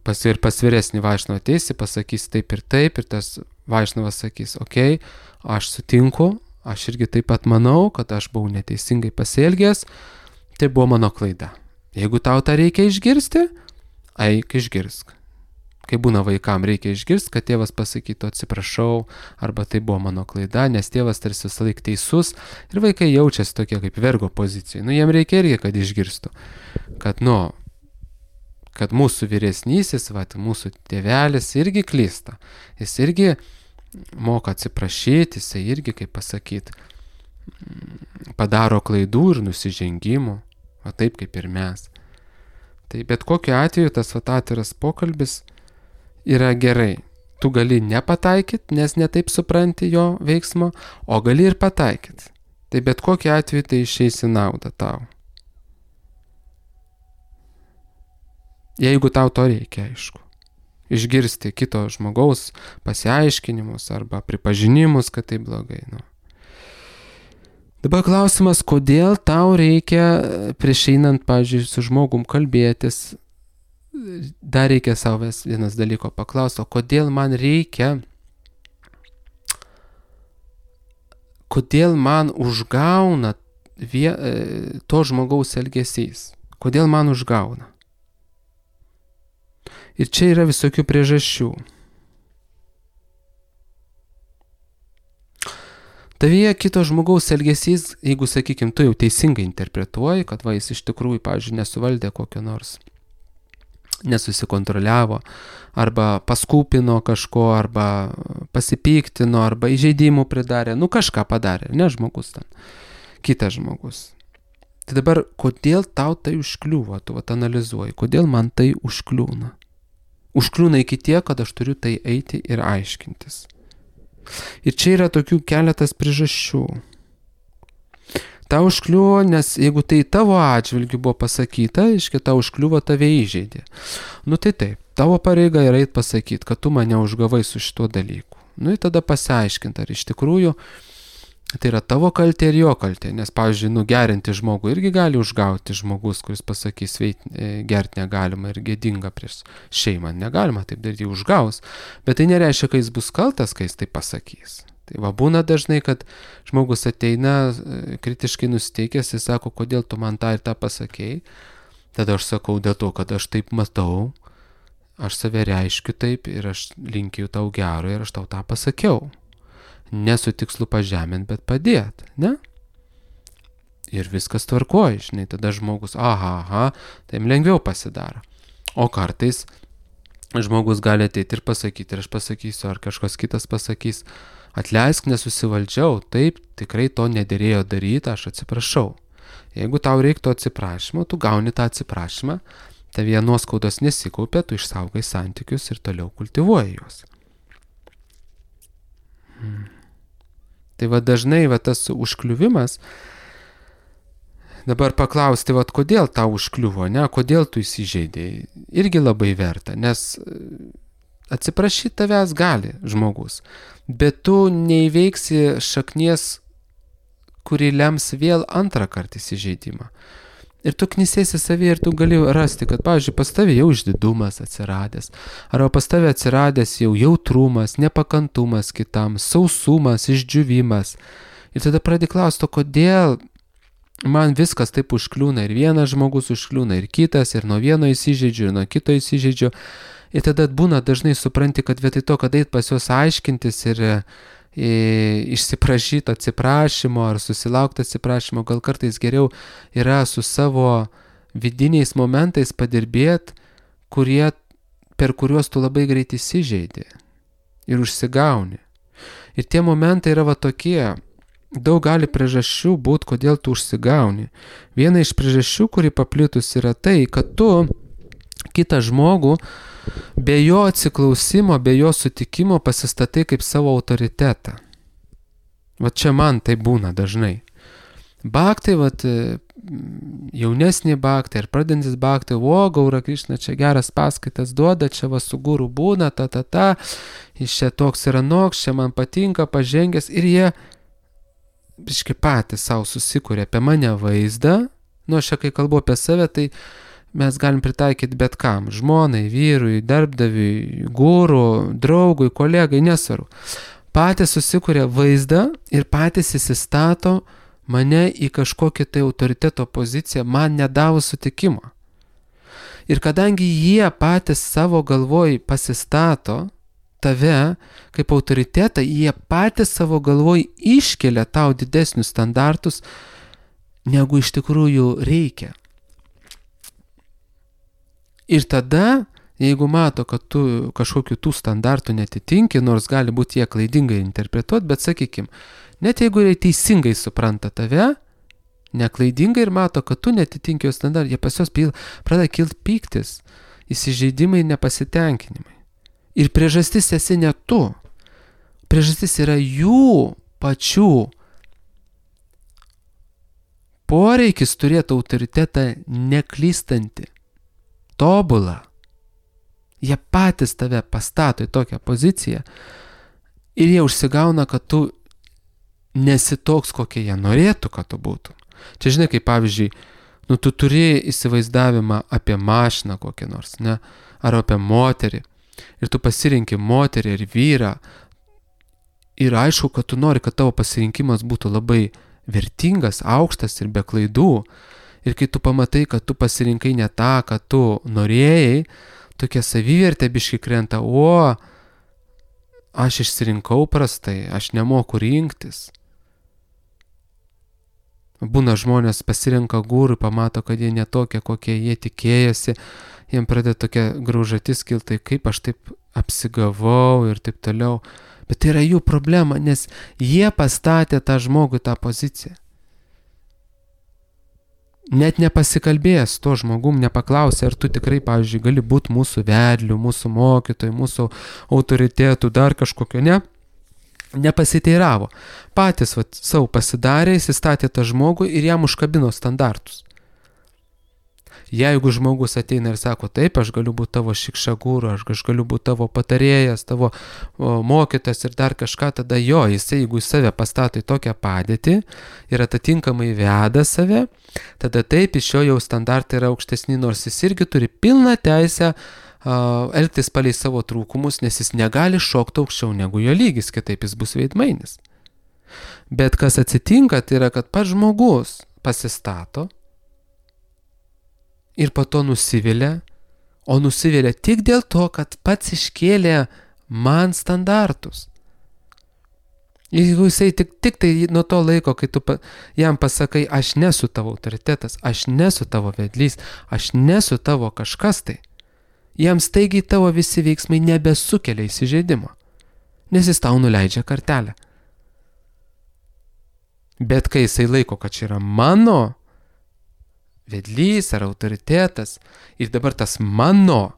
pas vyresnį vaišnavą ateisi, pasakys taip, ir tas vaišnavas sakys, okei, aš sutinku, aš irgi taip pat manau, kad aš buvau neteisingai pasielgęs, tai buvo mano klaida. Jeigu tau tą reikia išgirsti, eik išgirsk. Kai būna vaikam reikia išgirsti, kad tėvas pasakytų atsiprašau, arba tai buvo mano klaida, nes tėvas tarsi visą laiką teisus ir vaikai jaučiasi tokie kaip vergo pozicijai. Nu, jiem reikia irgi, kad išgirstų, kad mūsų vyresnysis, mūsų tėvelis irgi klysta. Jis irgi moka atsiprašyti, jis irgi, kaip pasakyti, padaro klaidų ir nusižengimų, o taip kaip ir mes. Tai bet kokiu atveju tas atviras pokalbis yra gerai. Tu gali nepataikyti, nes netaip supranti jo veiksmo, o gali ir pataikyti. Tai bet kokiu atveju tai išeis į naudą tau. Jeigu tau to reikia, aišku. Išgirsti kito žmogaus pasiaiškinimus arba pripažinimus, kad tai blogai. Nu. Dabar klausimas, kodėl tau reikia prieš einant, pavyzdžiui, su žmogum kalbėtis. Dar reikia savęs vienas dalyko paklausti, o kodėl man reikia, kodėl man užgauna to žmogaus elgesys, kodėl man užgauna. Ir čia yra visokių priežasčių. Tavyje kito žmogaus elgesys, jeigu, sakykim, tu jau teisingai interpretuoji, kad jis iš tikrųjų, pavyzdžiui, nesuvaldė kokio nors, nesusikontroliavo, arba paskūpino kažko, arba pasipyktino, arba įžeidimų pridarė, kažką padarė, ne žmogus ten, kitas žmogus. Tai dabar, kodėl tau tai užkliūva, tu analizuoji, kodėl man tai užkliūna? Užkliūna iki tiek, kad aš turiu tai eiti ir aiškintis. Ir čia yra tokių keletas priežasčių. Tau užkliuvo, nes jeigu tai tavo atžvilgiu buvo pasakyta, iškia tau užkliuvo, tave įžeidė. Tai taip, tavo pareiga yra eit pasakyti, kad tu mane užgavai su šituo dalyku. Ir tada pasiaiškinti, ar iš tikrųjų tai yra tavo kaltė ir jo kaltė. Nes, pavyzdžiui, gerinti žmogų irgi gali užgauti žmogus, kuris pasakys, gerti negalima ir gėdinga prieš šeimą. Negalima taip daryti, užgaus. Bet tai nereiškia, kad jis bus kaltas, kai jis tai pasakys. Tai būna dažnai, kad žmogus ateina kritiškai nusiteikęs ir sako, kodėl tu man tą ir tą pasakėjai. Tada aš sakau, dėl to, kad aš taip matau, aš save reiškiu taip ir aš linkiu tau gero ir aš tau tą pasakiau. Nesu tikslu pažemint, bet padėt, ne? Ir viskas tvarkoja, žinai, tada žmogus, tai lengviau pasidaro. O kartais žmogus gali ateiti ir pasakyti, ir aš pasakysiu, ar kažkas kitas pasakys, atleisk, nesusivaldžiau, taip, tikrai to nederėjo daryti, aš atsiprašau. Jeigu tau reiktų atsiprašymo, tu gauni tą atsiprašymą, tavyje nuoskaudos nesikaupia, tu išsaugai santykius ir toliau kultivuoji juos. Tai dažnai tas užkliuvimas, dabar paklausti, kodėl tau užkliuvo, ne, kodėl tu įsižeidėjai, irgi labai verta, nes atsiprašyti tavęs gali žmogus, bet tu neįveiksi šaknies, kuri lems vėl antrą kartą įsižeidimą. Ir tu knisėsi savyje ir tu gali rasti, kad, pavyzdžiui, pas tavę jau išdidumas atsiradęs, arba pas tavę atsiradęs jau jautrumas, nepakantumas kitam, sausumas, išdžiūvimas. Ir tada pradedi klausti, kodėl man viskas taip užkliūna, ir vienas žmogus užkliūna, ir kitas, ir nuo vieno įsižeidžiu, ir nuo kito įsižeidžiu. Ir tada būna dažnai supranti, kad vietoj to, kad eit pas juos aiškintis ir išsiprašyti atsiprašymo ar susilaukti atsiprašymo, gal kartais geriau yra su savo vidiniais momentais padirbėti, per kuriuos tu labai greit įsižeidi ir užsigauni. Ir tie momentai yra va tokie. Daug gali priežasčių būti, kodėl tu užsigauni. Viena iš priežasčių, kuri paplitus, yra tai, kad tu kitą žmogų be jo atsiklausimo, be jo sutikimo pasistatai kaip savo autoritetą. Va čia man tai būna dažnai. Bhaktai, jaunesni bhaktai ir pradedantis bhaktai, Gaura Krišna čia geras paskaitas duoda, čia va su guru būna, jis čia toks ir anoks, čia man patinka, pažengęs, ir jie biškai patys savo susikūrė apie mane vaizdą. Aš kai kalbu apie save, tai mes galim pritaikyti bet kam, žmonai, vyrui, darbdaviui, guru, draugui, kolegai, nesvaru. Patys susikūrė vaizdą ir patys įsistato mane į kažkokią tai autoriteto poziciją, man nedavus sutikimo. Ir kadangi jie patys savo galvoj pasistato tave kaip autoritetą, jie patys savo galvoj iškelia tau didesnius standartus, negu iš tikrųjų reikia. Ir tada, jeigu mato, kad tu kažkokių tų standartų netitinki, nors gali būti jie klaidingai interpretuoti, bet sakykim, net jeigu jie teisingai supranta tave, neklaidingai ir mato, kad tu netitinki jos standartų, jie pas jos pradeda kilti pyktis, įsižeidimai, nepasitenkinimai. Ir priežastis esi ne tu. Priežastis yra jų pačių poreikis turėti autoritetą neklystantį, tobulą. Jie patys tave pastato į tokią poziciją ir jie užsigauna, kad tu nesi toks, kokie jie norėtų, kad tu būtum. Čia žinai, kaip pavyzdžiui, tu turi įsivaizdavimą apie mašiną kokią nors, ne? Ar apie moterį. Ir tu pasirinki moterį ir vyrą. Ir aišku, kad tu nori, kad tavo pasirinkimas būtų labai vertingas, aukštas ir be klaidų. Ir kai tu pamatai, kad tu pasirinkai ne tą, kad tu norėjai, tokia savivertė biškai krenta, aš išsirinkau prastai, aš nemoku rinktis. Būna žmonės pasirenka gurų, pamato, kad jie netokie, kokie jie tikėjosi, jiem pradeda tokia graužatis kilti, kaip aš taip apsigavau ir taip toliau. Bet tai yra jų problema, nes jie pastatė tą žmogų tą poziciją. Net nepasikalbėjęs to žmogum, nepaklausė, ar tu tikrai, pavyzdžiui, gali būti mūsų vedliu, mūsų mokytojų, mūsų autoritetų, dar kažkokio, ne? Nepasiteiravo. Patys savo pasidarė, įsistatė tą žmogų ir jam užkabino standartus. Jeigu žmogus ateina ir sako, taip, aš galiu būti tavo šikšagūru, aš galiu būti tavo patarėjas, tavo mokytas ir dar kažką, tada jisai, jeigu save pastato į tokią padėtį ir atitinkamai veda save, tada taip, iš jo jau standartai yra aukštesni, nors jis irgi turi pilną teisę elgtis palei savo trūkumus, nes jis negali šokti aukščiau negu jo lygis, kitaip jis bus veidmainis. Bet kas atsitinka, tai yra, kad pats žmogus pasistato ir po to nusivilia, o nusivilia tik dėl to, kad pats iškėlė man standartus. Jeigu jisai tik tai nuo to laiko, kai tu jam pasakai, aš nesu tavo autoritetas, aš nesu tavo vedlys, aš nesu tavo kažkas tai, jam staigiai tavo visi veiksmai nebesukelia įsižeidimo, nes jis tau nuleidžia kartelę. Bet kai jisai laiko, kad čia yra mano vedlys ar autoritetas ir dabar tas mano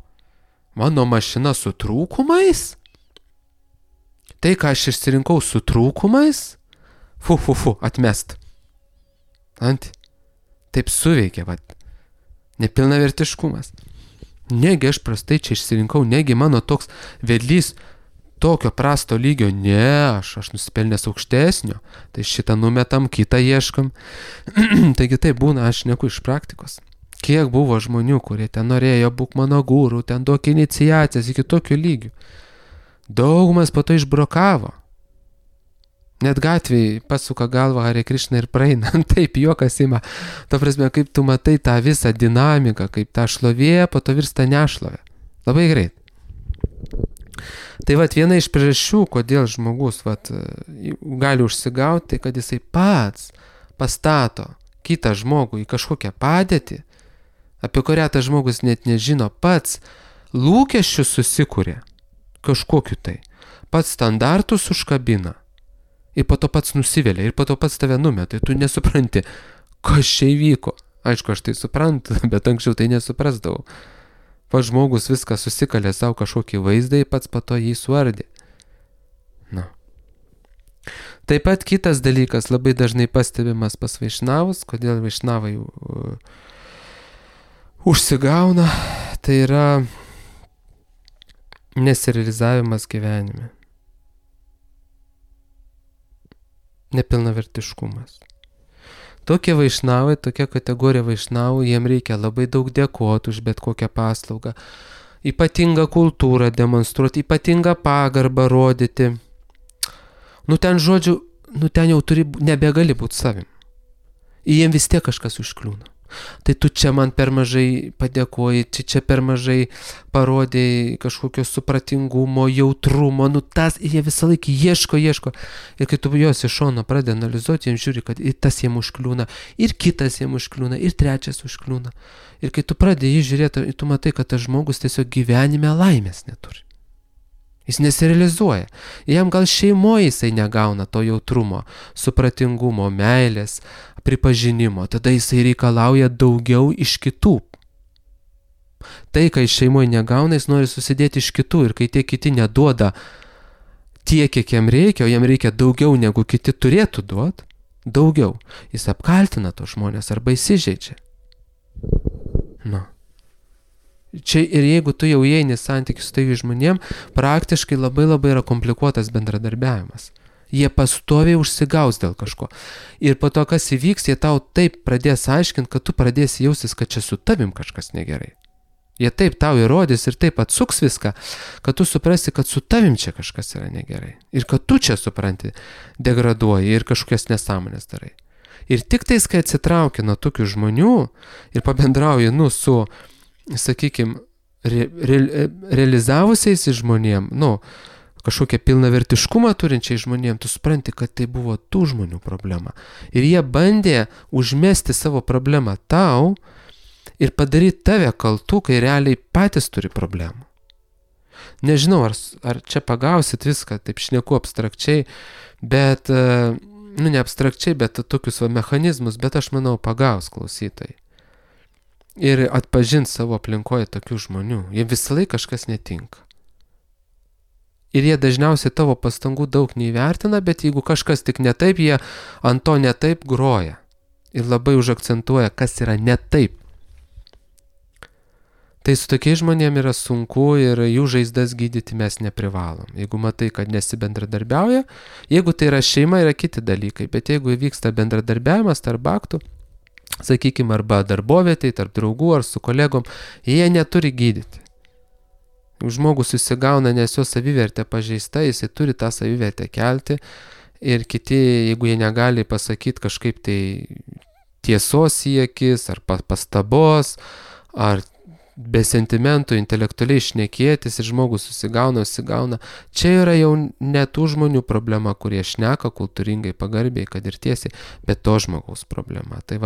mašina su trūkumais, tai, ką aš išsirinkau su trūkumais, atmest. Taip suveikia, nepilnavertiškumas. Negi aš prastai čia išsirinkau, negi mano toks vedlys tokio prasto lygio, ne, aš nusipelnęs aukštesnio, tai šitą numetam, kitą ieškam. Taigi tai būna, aš šneku iš praktikos. Kiek buvo žmonių, kurie ten norėjo būk mano guru, ten duok iniciacijas iki tokių lygių. Daugumas po to išbrokavo. Net gatvėje pasuka galvą Hare Krishna ir praeina. Taip, juokas ima. Ta prasme, kaip tu matai tą visą dinamiką, kaip ta šlovė po to virsta nešlovė. Labai greit. Tai vat viena iš priežasčių, kodėl žmogus gali užsigauti, tai kad jisai pats pastato kitą žmogų į kažkokią padėtį, apie kurią tas žmogus net nežino, pats lūkesčius susikūrė kažkokiu tai, pats standartus užkabina ir po to pats nusivelia ir po to pats tave numeta, tu nesupranti, kas čia įvyko. Aišku, aš tai suprantu, bet anksčiau tai nesuprasdavau. Pats žmogus viską susikalė savo kažkokį vaizdą ir pats po to jį suardė. Na. Taip pat kitas dalykas labai dažnai pastebimas pas vaišnavus, kodėl vaišnavai užsigauna, tai yra nesirealizavimas gyvenime. Nepilnavertiškumas. Tokie vaišnavai, tokia kategorija vaišnavų, jiem reikia labai daug dėkoti už bet kokią paslaugą, ypatingą kultūrą demonstruoti, ypatingą pagarbą rodyti. Ten žodžiu, ten jau nebegali būti savim. Ir jiem vis tiek kažkas užkliūna. Tai tu čia man per mažai padėkoji, čia per mažai parodėjai kažkokio supratingumo, jautrumo, tas jie visą laiką ieško. Ir kai tu juos iš šono pradedi analizuoti, jiems žiūri, kad ir tas jiems užkliūna, ir kitas jiems užkliūna, ir trečias užkliūna. Ir kai tu pradedi jį žiūrėti, tu matai, kad tas žmogus tiesiog gyvenime laimės neturi. Jis nesirealizuoja. Jam gal šeimoje jisai negauna to jautrumo, supratingumo, meilės, pripažinimo. Tada jisai reikalauja daugiau iš kitų. Tai, kai šeimoje negauna, jis nori susidėti iš kitų. Ir kai tie kiti neduoda tiek, kiek jam reikia, o jam reikia daugiau, negu kiti turėtų duoti, daugiau. Jis apkaltina tos žmonės arba įsižeidžia. Čia ir jeigu tu jau įeini santykius su tai žmonėm, praktiškai labai yra komplikuotas bendradarbiavimas. Jie pastoviai užsigaus dėl kažko. Ir po to, kas įvyks, jie tau taip pradės aiškinti, kad tu pradėsi jaustis, kad čia su tavim kažkas negerai. Jie taip tau įrodys ir taip atsuks viską, kad tu suprasi, kad su tavim čia kažkas yra negerai. Ir kad tu čia supranti, degraduoji ir kažkokias nesąmonės darai. Ir tik tais, kai atsitrauki nuo tokių žmonių ir pabendrauji, su sakykime, realizavusiais žmonėm, kažkokią pilnavertiškumą turinčiai žmonėm, tu supranti, kad tai buvo tų žmonių problema. Ir jie bandė užmesti savo problemą tau ir padaryti tave kaltu, kai realiai patys turi problemų. Nežinau, ar čia pagausit viską, taip šneku abstrakčiai, bet, ne abstrakčiai, bet tokius mechanizmus, bet aš manau pagaus klausytojai. Ir atpažint savo aplinkoje tokių žmonių. Jie visą laiką kažkas netinka. Ir jie dažniausiai tavo pastangų daug neįvertina, bet jeigu kažkas tik ne taip, jie ant to ne taip groja. Ir labai užakcentuoja, kas yra ne taip. Tai su tokiais žmonėm yra sunku ir jų žaizdas gydyti mes neprivalom. Jeigu matai, kad nesibendradarbiauja, jeigu tai yra šeima, yra kiti dalykai, bet jeigu įvyksta bendradarbiavimas tarp baktų, sakykime, arba darbovietėj, tarp draugų ar su kolegom, jie neturi gydyti. Žmogus susigauna, nes jo savivertė pažeista, jisai turi tą savivertę kelti ir kiti, jeigu jie negali pasakyti kažkaip tai tiesos siekis, ar pastabos, ar be sentimentų intelektualiai šnekėtis ir žmogus susigauna. Čia yra jau ne tų žmonių problema, kurie šneka kultūringai, pagarbiai, kad ir tiesiai, bet to žmogaus problema. Tai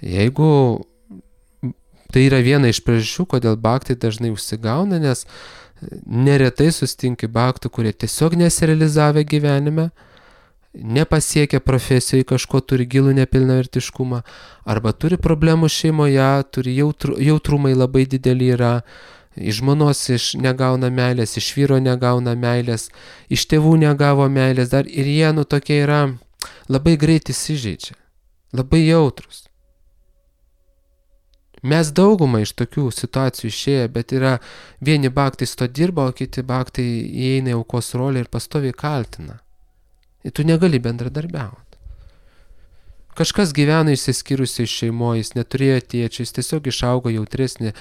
jeigu tai yra viena iš priežasčių, kodėl bhaktai dažnai užsigauna, nes neretai susitinki bhaktų, kurie tiesiog nesirealizavę gyvenime, nepasiekia profesijoje, kažko turi gilų nepilnavertiškumą, arba turi problemų šeimoje, turi jautrumai labai didelį yra, iš žmonos negauna meilės, iš vyro negauna meilės, iš tėvų negavo meilės, dar ir jie tokie yra labai greit įsižeidžia, labai jautrus. Mes daugumą iš tokių situacijų išėję, bet yra vieni bhaktai su to dirba, o kiti bhaktai įeina į aukos rolę ir pastoviai kaltina. Ir tu negali bendradarbiauti. Kažkas gyvena išsiskyrusiai šeimoje, jis neturėjo tėčio, jis tiesiog išaugo jautresnį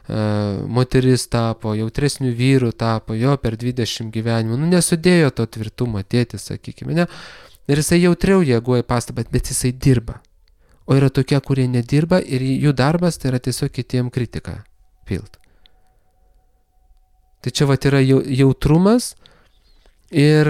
moteris tapo, jautresnių vyrų tapo, jo per 20 gyvenimų, nesudėjo to tvirtumo tėtis, sakykime, ne? Ir jisai jautriau reaguoja į pastabą, bet jisai dirba. O yra tokie, kurie nedirba ir jų darbas tai yra tiesiog kitiem kritiką pilt. Tai čia vat yra jautrumas ir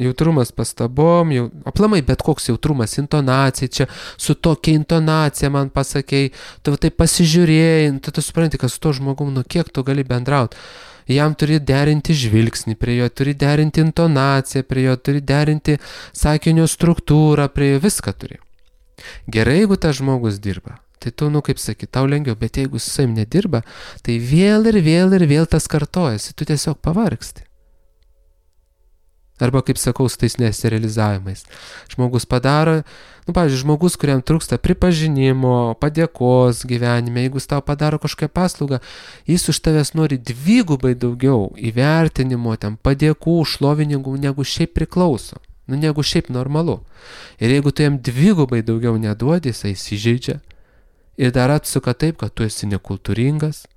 jautrumas pastabom, aplamai bet koks jautrumas, intonacija, čia su tokia intonacija man pasakei, tu tai pasižiūrėjai, tu supranti, kad su to žmogum, kiek tu gali bendrauti. Jam turi derinti žvilgsnį prie jo, turi derinti intonaciją prie jo, turi derinti sakinio struktūrą prie jo, viską turi. Gerai, jeigu tas žmogus dirba, tai tu, kaip sakyt, tau lengviau, bet jeigu su savim nedirba, tai vėl ir vėl tas kartojasi, tu tiesiog pavargsti. Arba, kaip sakau, su tais nesirealizavimais. Žmogus padaro, pavyzdžiui, žmogus, kuriam trūksta pripažinimo, padėkos gyvenime, jeigu jis tau padaro kažkokią paslaugą, jis už tavęs nori dvigubai daugiau įvertinimo, padėkų, šlovinimų, negu šiaip priklauso, negu šiaip normalu. Ir jeigu tu jam dvigubai daugiau neduodi, jisai įsižeidžia ir dar atsuka taip, kad tu esi nekultūringas,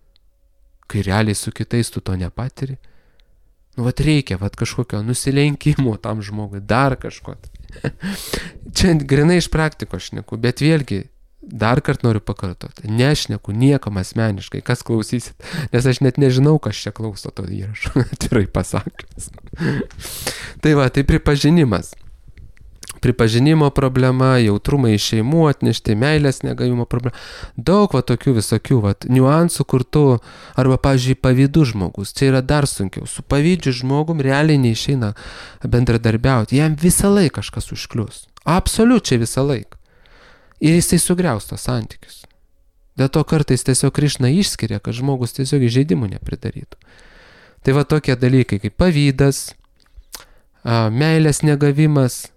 kai realiai su kitais tu to nepatiri. Reikia kažkokio nusilenkimo tam žmogui, dar kažko. Čia grinai iš praktikos šneku, bet vėlgi dar kartą noriu pakartoti. Nešneku niekam asmeniškai, kas klausysit, nes aš net nežinau, kas čia klauso to įrašo, atvirai pasakęs. Tai pripažinimas. Pripažinimo problema, jautrumai iš šeimų atnešti, meilės negavimo problema. Daug tokių visokių niuansų, kur tu, arba, pavyzdžiui, pavydų žmogus, čia yra dar sunkiau. Su pavydžiu žmogum realiai neišeina bendradarbiauti. Jam visą laiką kažkas užklius. Absoliučiai visą laiką. Ir jisai sugriaus tos santykius. Dėl to kartais tiesiog Krišna išskiria, kad žmogus tiesiog įžeidimų nepridarytų. Tai tokie dalykai kaip pavydas, meilės negavimas,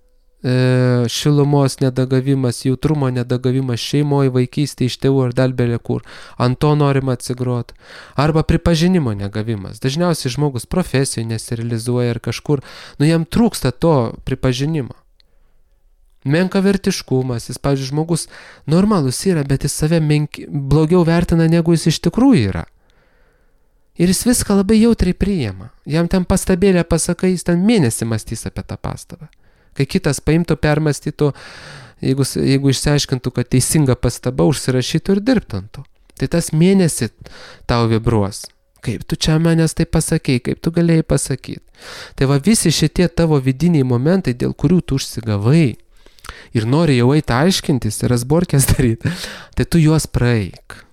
šilumos nedagavimas, jautrumo nedagavimas šeimoje, vaikystėje, iš tėvų ar dar belė kur, ant to norima atsigroti, arba pripažinimo negavimas. Dažniausiai žmogus profesijoje nesirealizuoja ir kažkur, jam trūksta to pripažinimo. Menkavertiškumas, jis, pavyzdžiui, žmogus normalus yra, bet jis save blogiau vertina, negu jis iš tikrųjų yra. Ir jis viską labai jautriai priima. Jam ten pastabėlę pasakai, jis ten mėnesį mąstys apie tą pastabą. Kai kitas paimtų, permastytų, jeigu išsiaiškintų, kad teisinga pastaba, užsirašytų ir dirbtų ant to. Tai tas mėnesį tau vibruos. Kaip tu čia manęs tai pasakei, kaip tu galėjai pasakyti. Tai visi šitie tavo vidiniai momentai, dėl kurių tu užsigavai ir nori jau eiti aiškintis ir rasborkės daryti, tai tu juos praeik.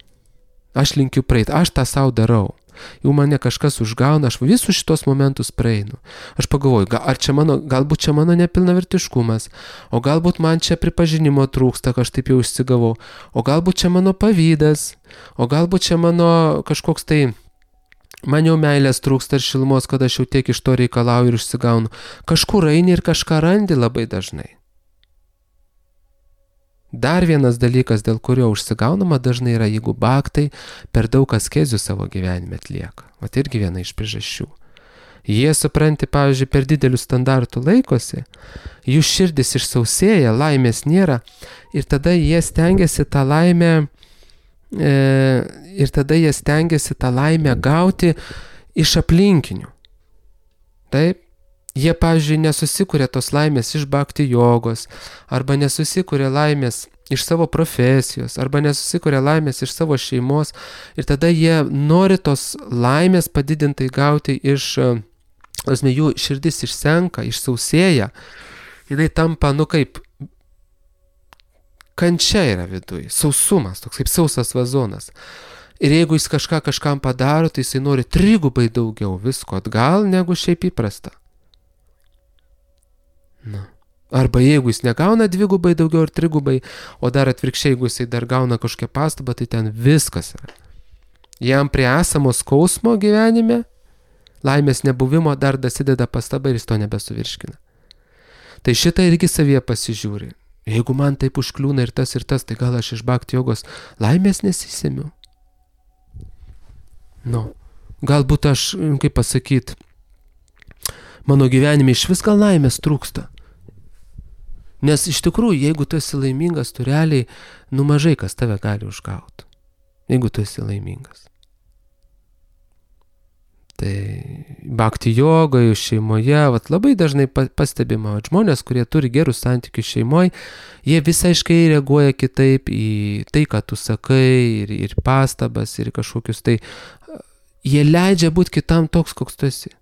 Aš linkiu praeiti, aš tą savo darau. Jau mane kažkas užgauna, aš visus šitos momentus praeinu. Aš pagalvoju, galbūt čia mano nepilnavertiškumas, o galbūt man čia pripažinimo trūksta, kad aš taip jau išsigavau, o galbūt čia mano pavydas, o galbūt čia mano kažkoks tai, man jau meilės trūksta ir šilumos, kad aš jau tiek iš to reikalauju ir išsigaunu. Kažkur eini ir kažką randi labai dažnai. Dar vienas dalykas, dėl kurio užsigaunama dažnai yra, jeigu bhaktai per daug askezių savo gyvenime atlieka. Irgi viena iš priežasčių. Jie, supranti, pavyzdžiui, per didelių standartų laikosi, jų širdis išsausėja, laimės nėra ir tada jie stengiasi tą laimę gauti iš aplinkinių. Taip? Jie, pavyzdžiui, nesusikuria tos laimės iš bhakti jogos, arba nesusikuria laimės iš savo profesijos, arba nesusikuria laimės iš savo šeimos, ir tada jie nori tos laimės padidintai gauti iš, jų širdis išsenka, išsausėja, jinai tampa, kaip kančia yra viduj, sausumas, toks kaip sausas vazonas. Ir jeigu jis kažkam padaro, tai jisai nori trigubai daugiau visko atgal, negu šiaip įprasta. Arba jeigu jis negauna dvigubai daugiau ar trigubai, o dar atvirkščiai, jeigu jisai dar gauna kažkokią pastabą, tai ten viskas yra. Jam prie esamo skausmo gyvenime, laimės nebuvimo dar dasideda pastaba ir jis to nebesuvirškina. Tai šitą irgi savyje pasižiūri. Jeigu man taip užkliūna ir tas, tai gal aš iš bhakti jogos laimės nesisemiu. Galbūt aš, kaip pasakyti, mano gyvenime iš vis gal laimės trūksta. Nes iš tikrųjų, jeigu tu esi laimingas, tu realiai, mažai kas tave gali užgauti. Jeigu tu esi laimingas. Tai bhakti jogoje, šeimoje, labai dažnai pastebima, žmonės, kurie turi gerus santykius šeimoje, jie visaiškai reaguoja kitaip į tai, ką tu sakai, ir pastabas, ir kažkokius tai, jie leidžia būti kitam toks, koks tu esi.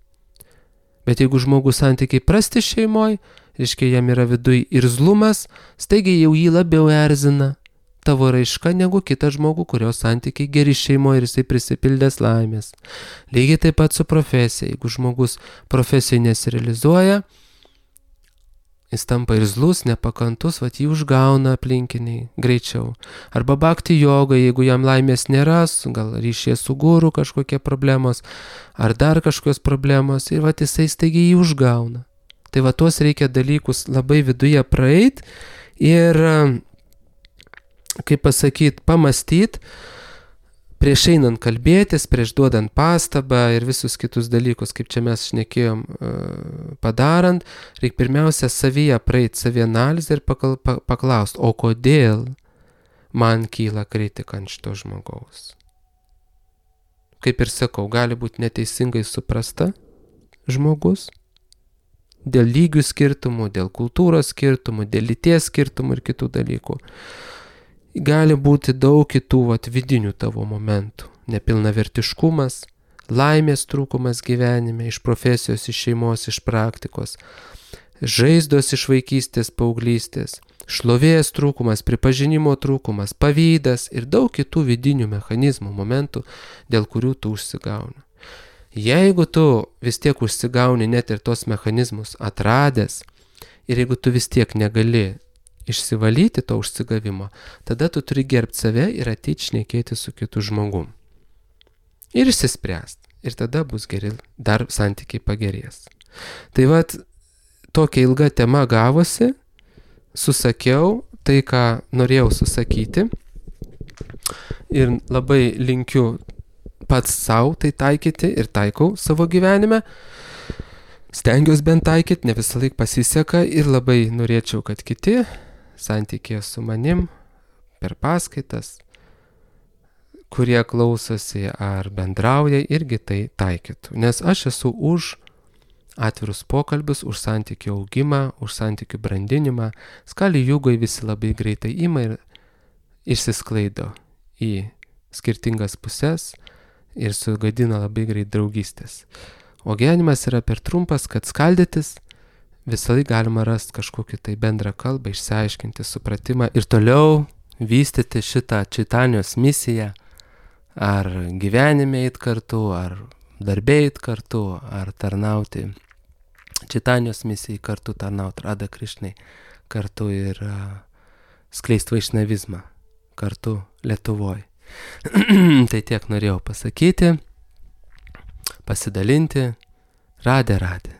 Bet jeigu žmogus santykiai prasti šeimoje, reiškia, jam yra viduj irzlumas, staigiai jau jį labiau erzina tavo raiška negu kitą žmogų, kurio santykiai geri šeimoje ir jisai prisipildęs laimės. Lygiai taip pat su profesija. Jeigu žmogus profesijoje nesirealizuoja, jis tampa irzlus, nepakantus, jį užgauna aplinkiniai greičiau. Arba bhakti joga, jeigu jam laimės nėra, gal ryšyje su guru kažkokie problemos, ar dar kažkokios problemos, ir jisai staigiai jį užgauna. Tai tuos reikia dalykus labai viduje praeit ir, kaip pasakyti, pamastyti, prieš einant kalbėtis, prieš duodant pastabą ir visus kitus dalykus, kaip čia mes šnekėjom, padarant, reikia pirmiausia savyje praeiti savianalizę ir paklausti, o kodėl man kyla kritika ant šito žmogaus. Kaip ir sakau, gali būti neteisingai suprasta žmogus, dėl lygių skirtumų, dėl kultūros skirtumų, dėl lyties skirtumų ir kitų dalykų. Gali būti daug kitų vidinių tavo momentų. Nepilnavertiškumas, laimės trūkumas gyvenime, iš profesijos, iš šeimos, iš praktikos, žaizdos iš vaikystės, paauglystės, šlovės trūkumas, pripažinimo trūkumas, pavydas ir daug kitų vidinių mechanizmų, momentų, dėl kurių tu užsigauni. Jeigu tu vis tiek užsigauni net ir tos mechanizmus atradęs ir jeigu tu vis tiek negali išsivalyti to užsigavimo, tada tu turi gerbti save ir ateiti šnekėti su kitu žmogum. Ir išsispręsti. Ir tada bus geri, dar santykiai pagerės. Tai tokia ilga tema gavosi, susakiau tai, ką norėjau susakyti. Ir labai linkiu pats savo tai taikyti ir taikau savo gyvenime. Stengiuosi bent taikyti, ne visą laiką pasiseka ir labai norėčiau, kad kiti santykėje su manim per paskaitas, kurie klausosi ar bendrauja, irgi tai taikytų. Nes aš esu už atvirus pokalbius, už santykių augimą, už santykių brandinimą. Skali jugai visi labai greitai ima ir išsisklaido į skirtingas puses ir sugadina labai greit draugystės. O gyvenimas yra per trumpas, kad skaldytis, visą laiką galima rasti kažkokį tai bendrą kalbą, išsiaiškinti supratimą ir toliau vystyti šitą Čaitanijos misiją, ar gyvenime eit kartu, ar darbė eit kartu, ar tarnauti Čaitanijos misijai kartu, tarnauti Radha Krišnai kartu ir skleisti vaišnavizmą kartu Lietuvoje. Tai tiek norėjau pasakyti, pasidalinti. Radhe Radhe.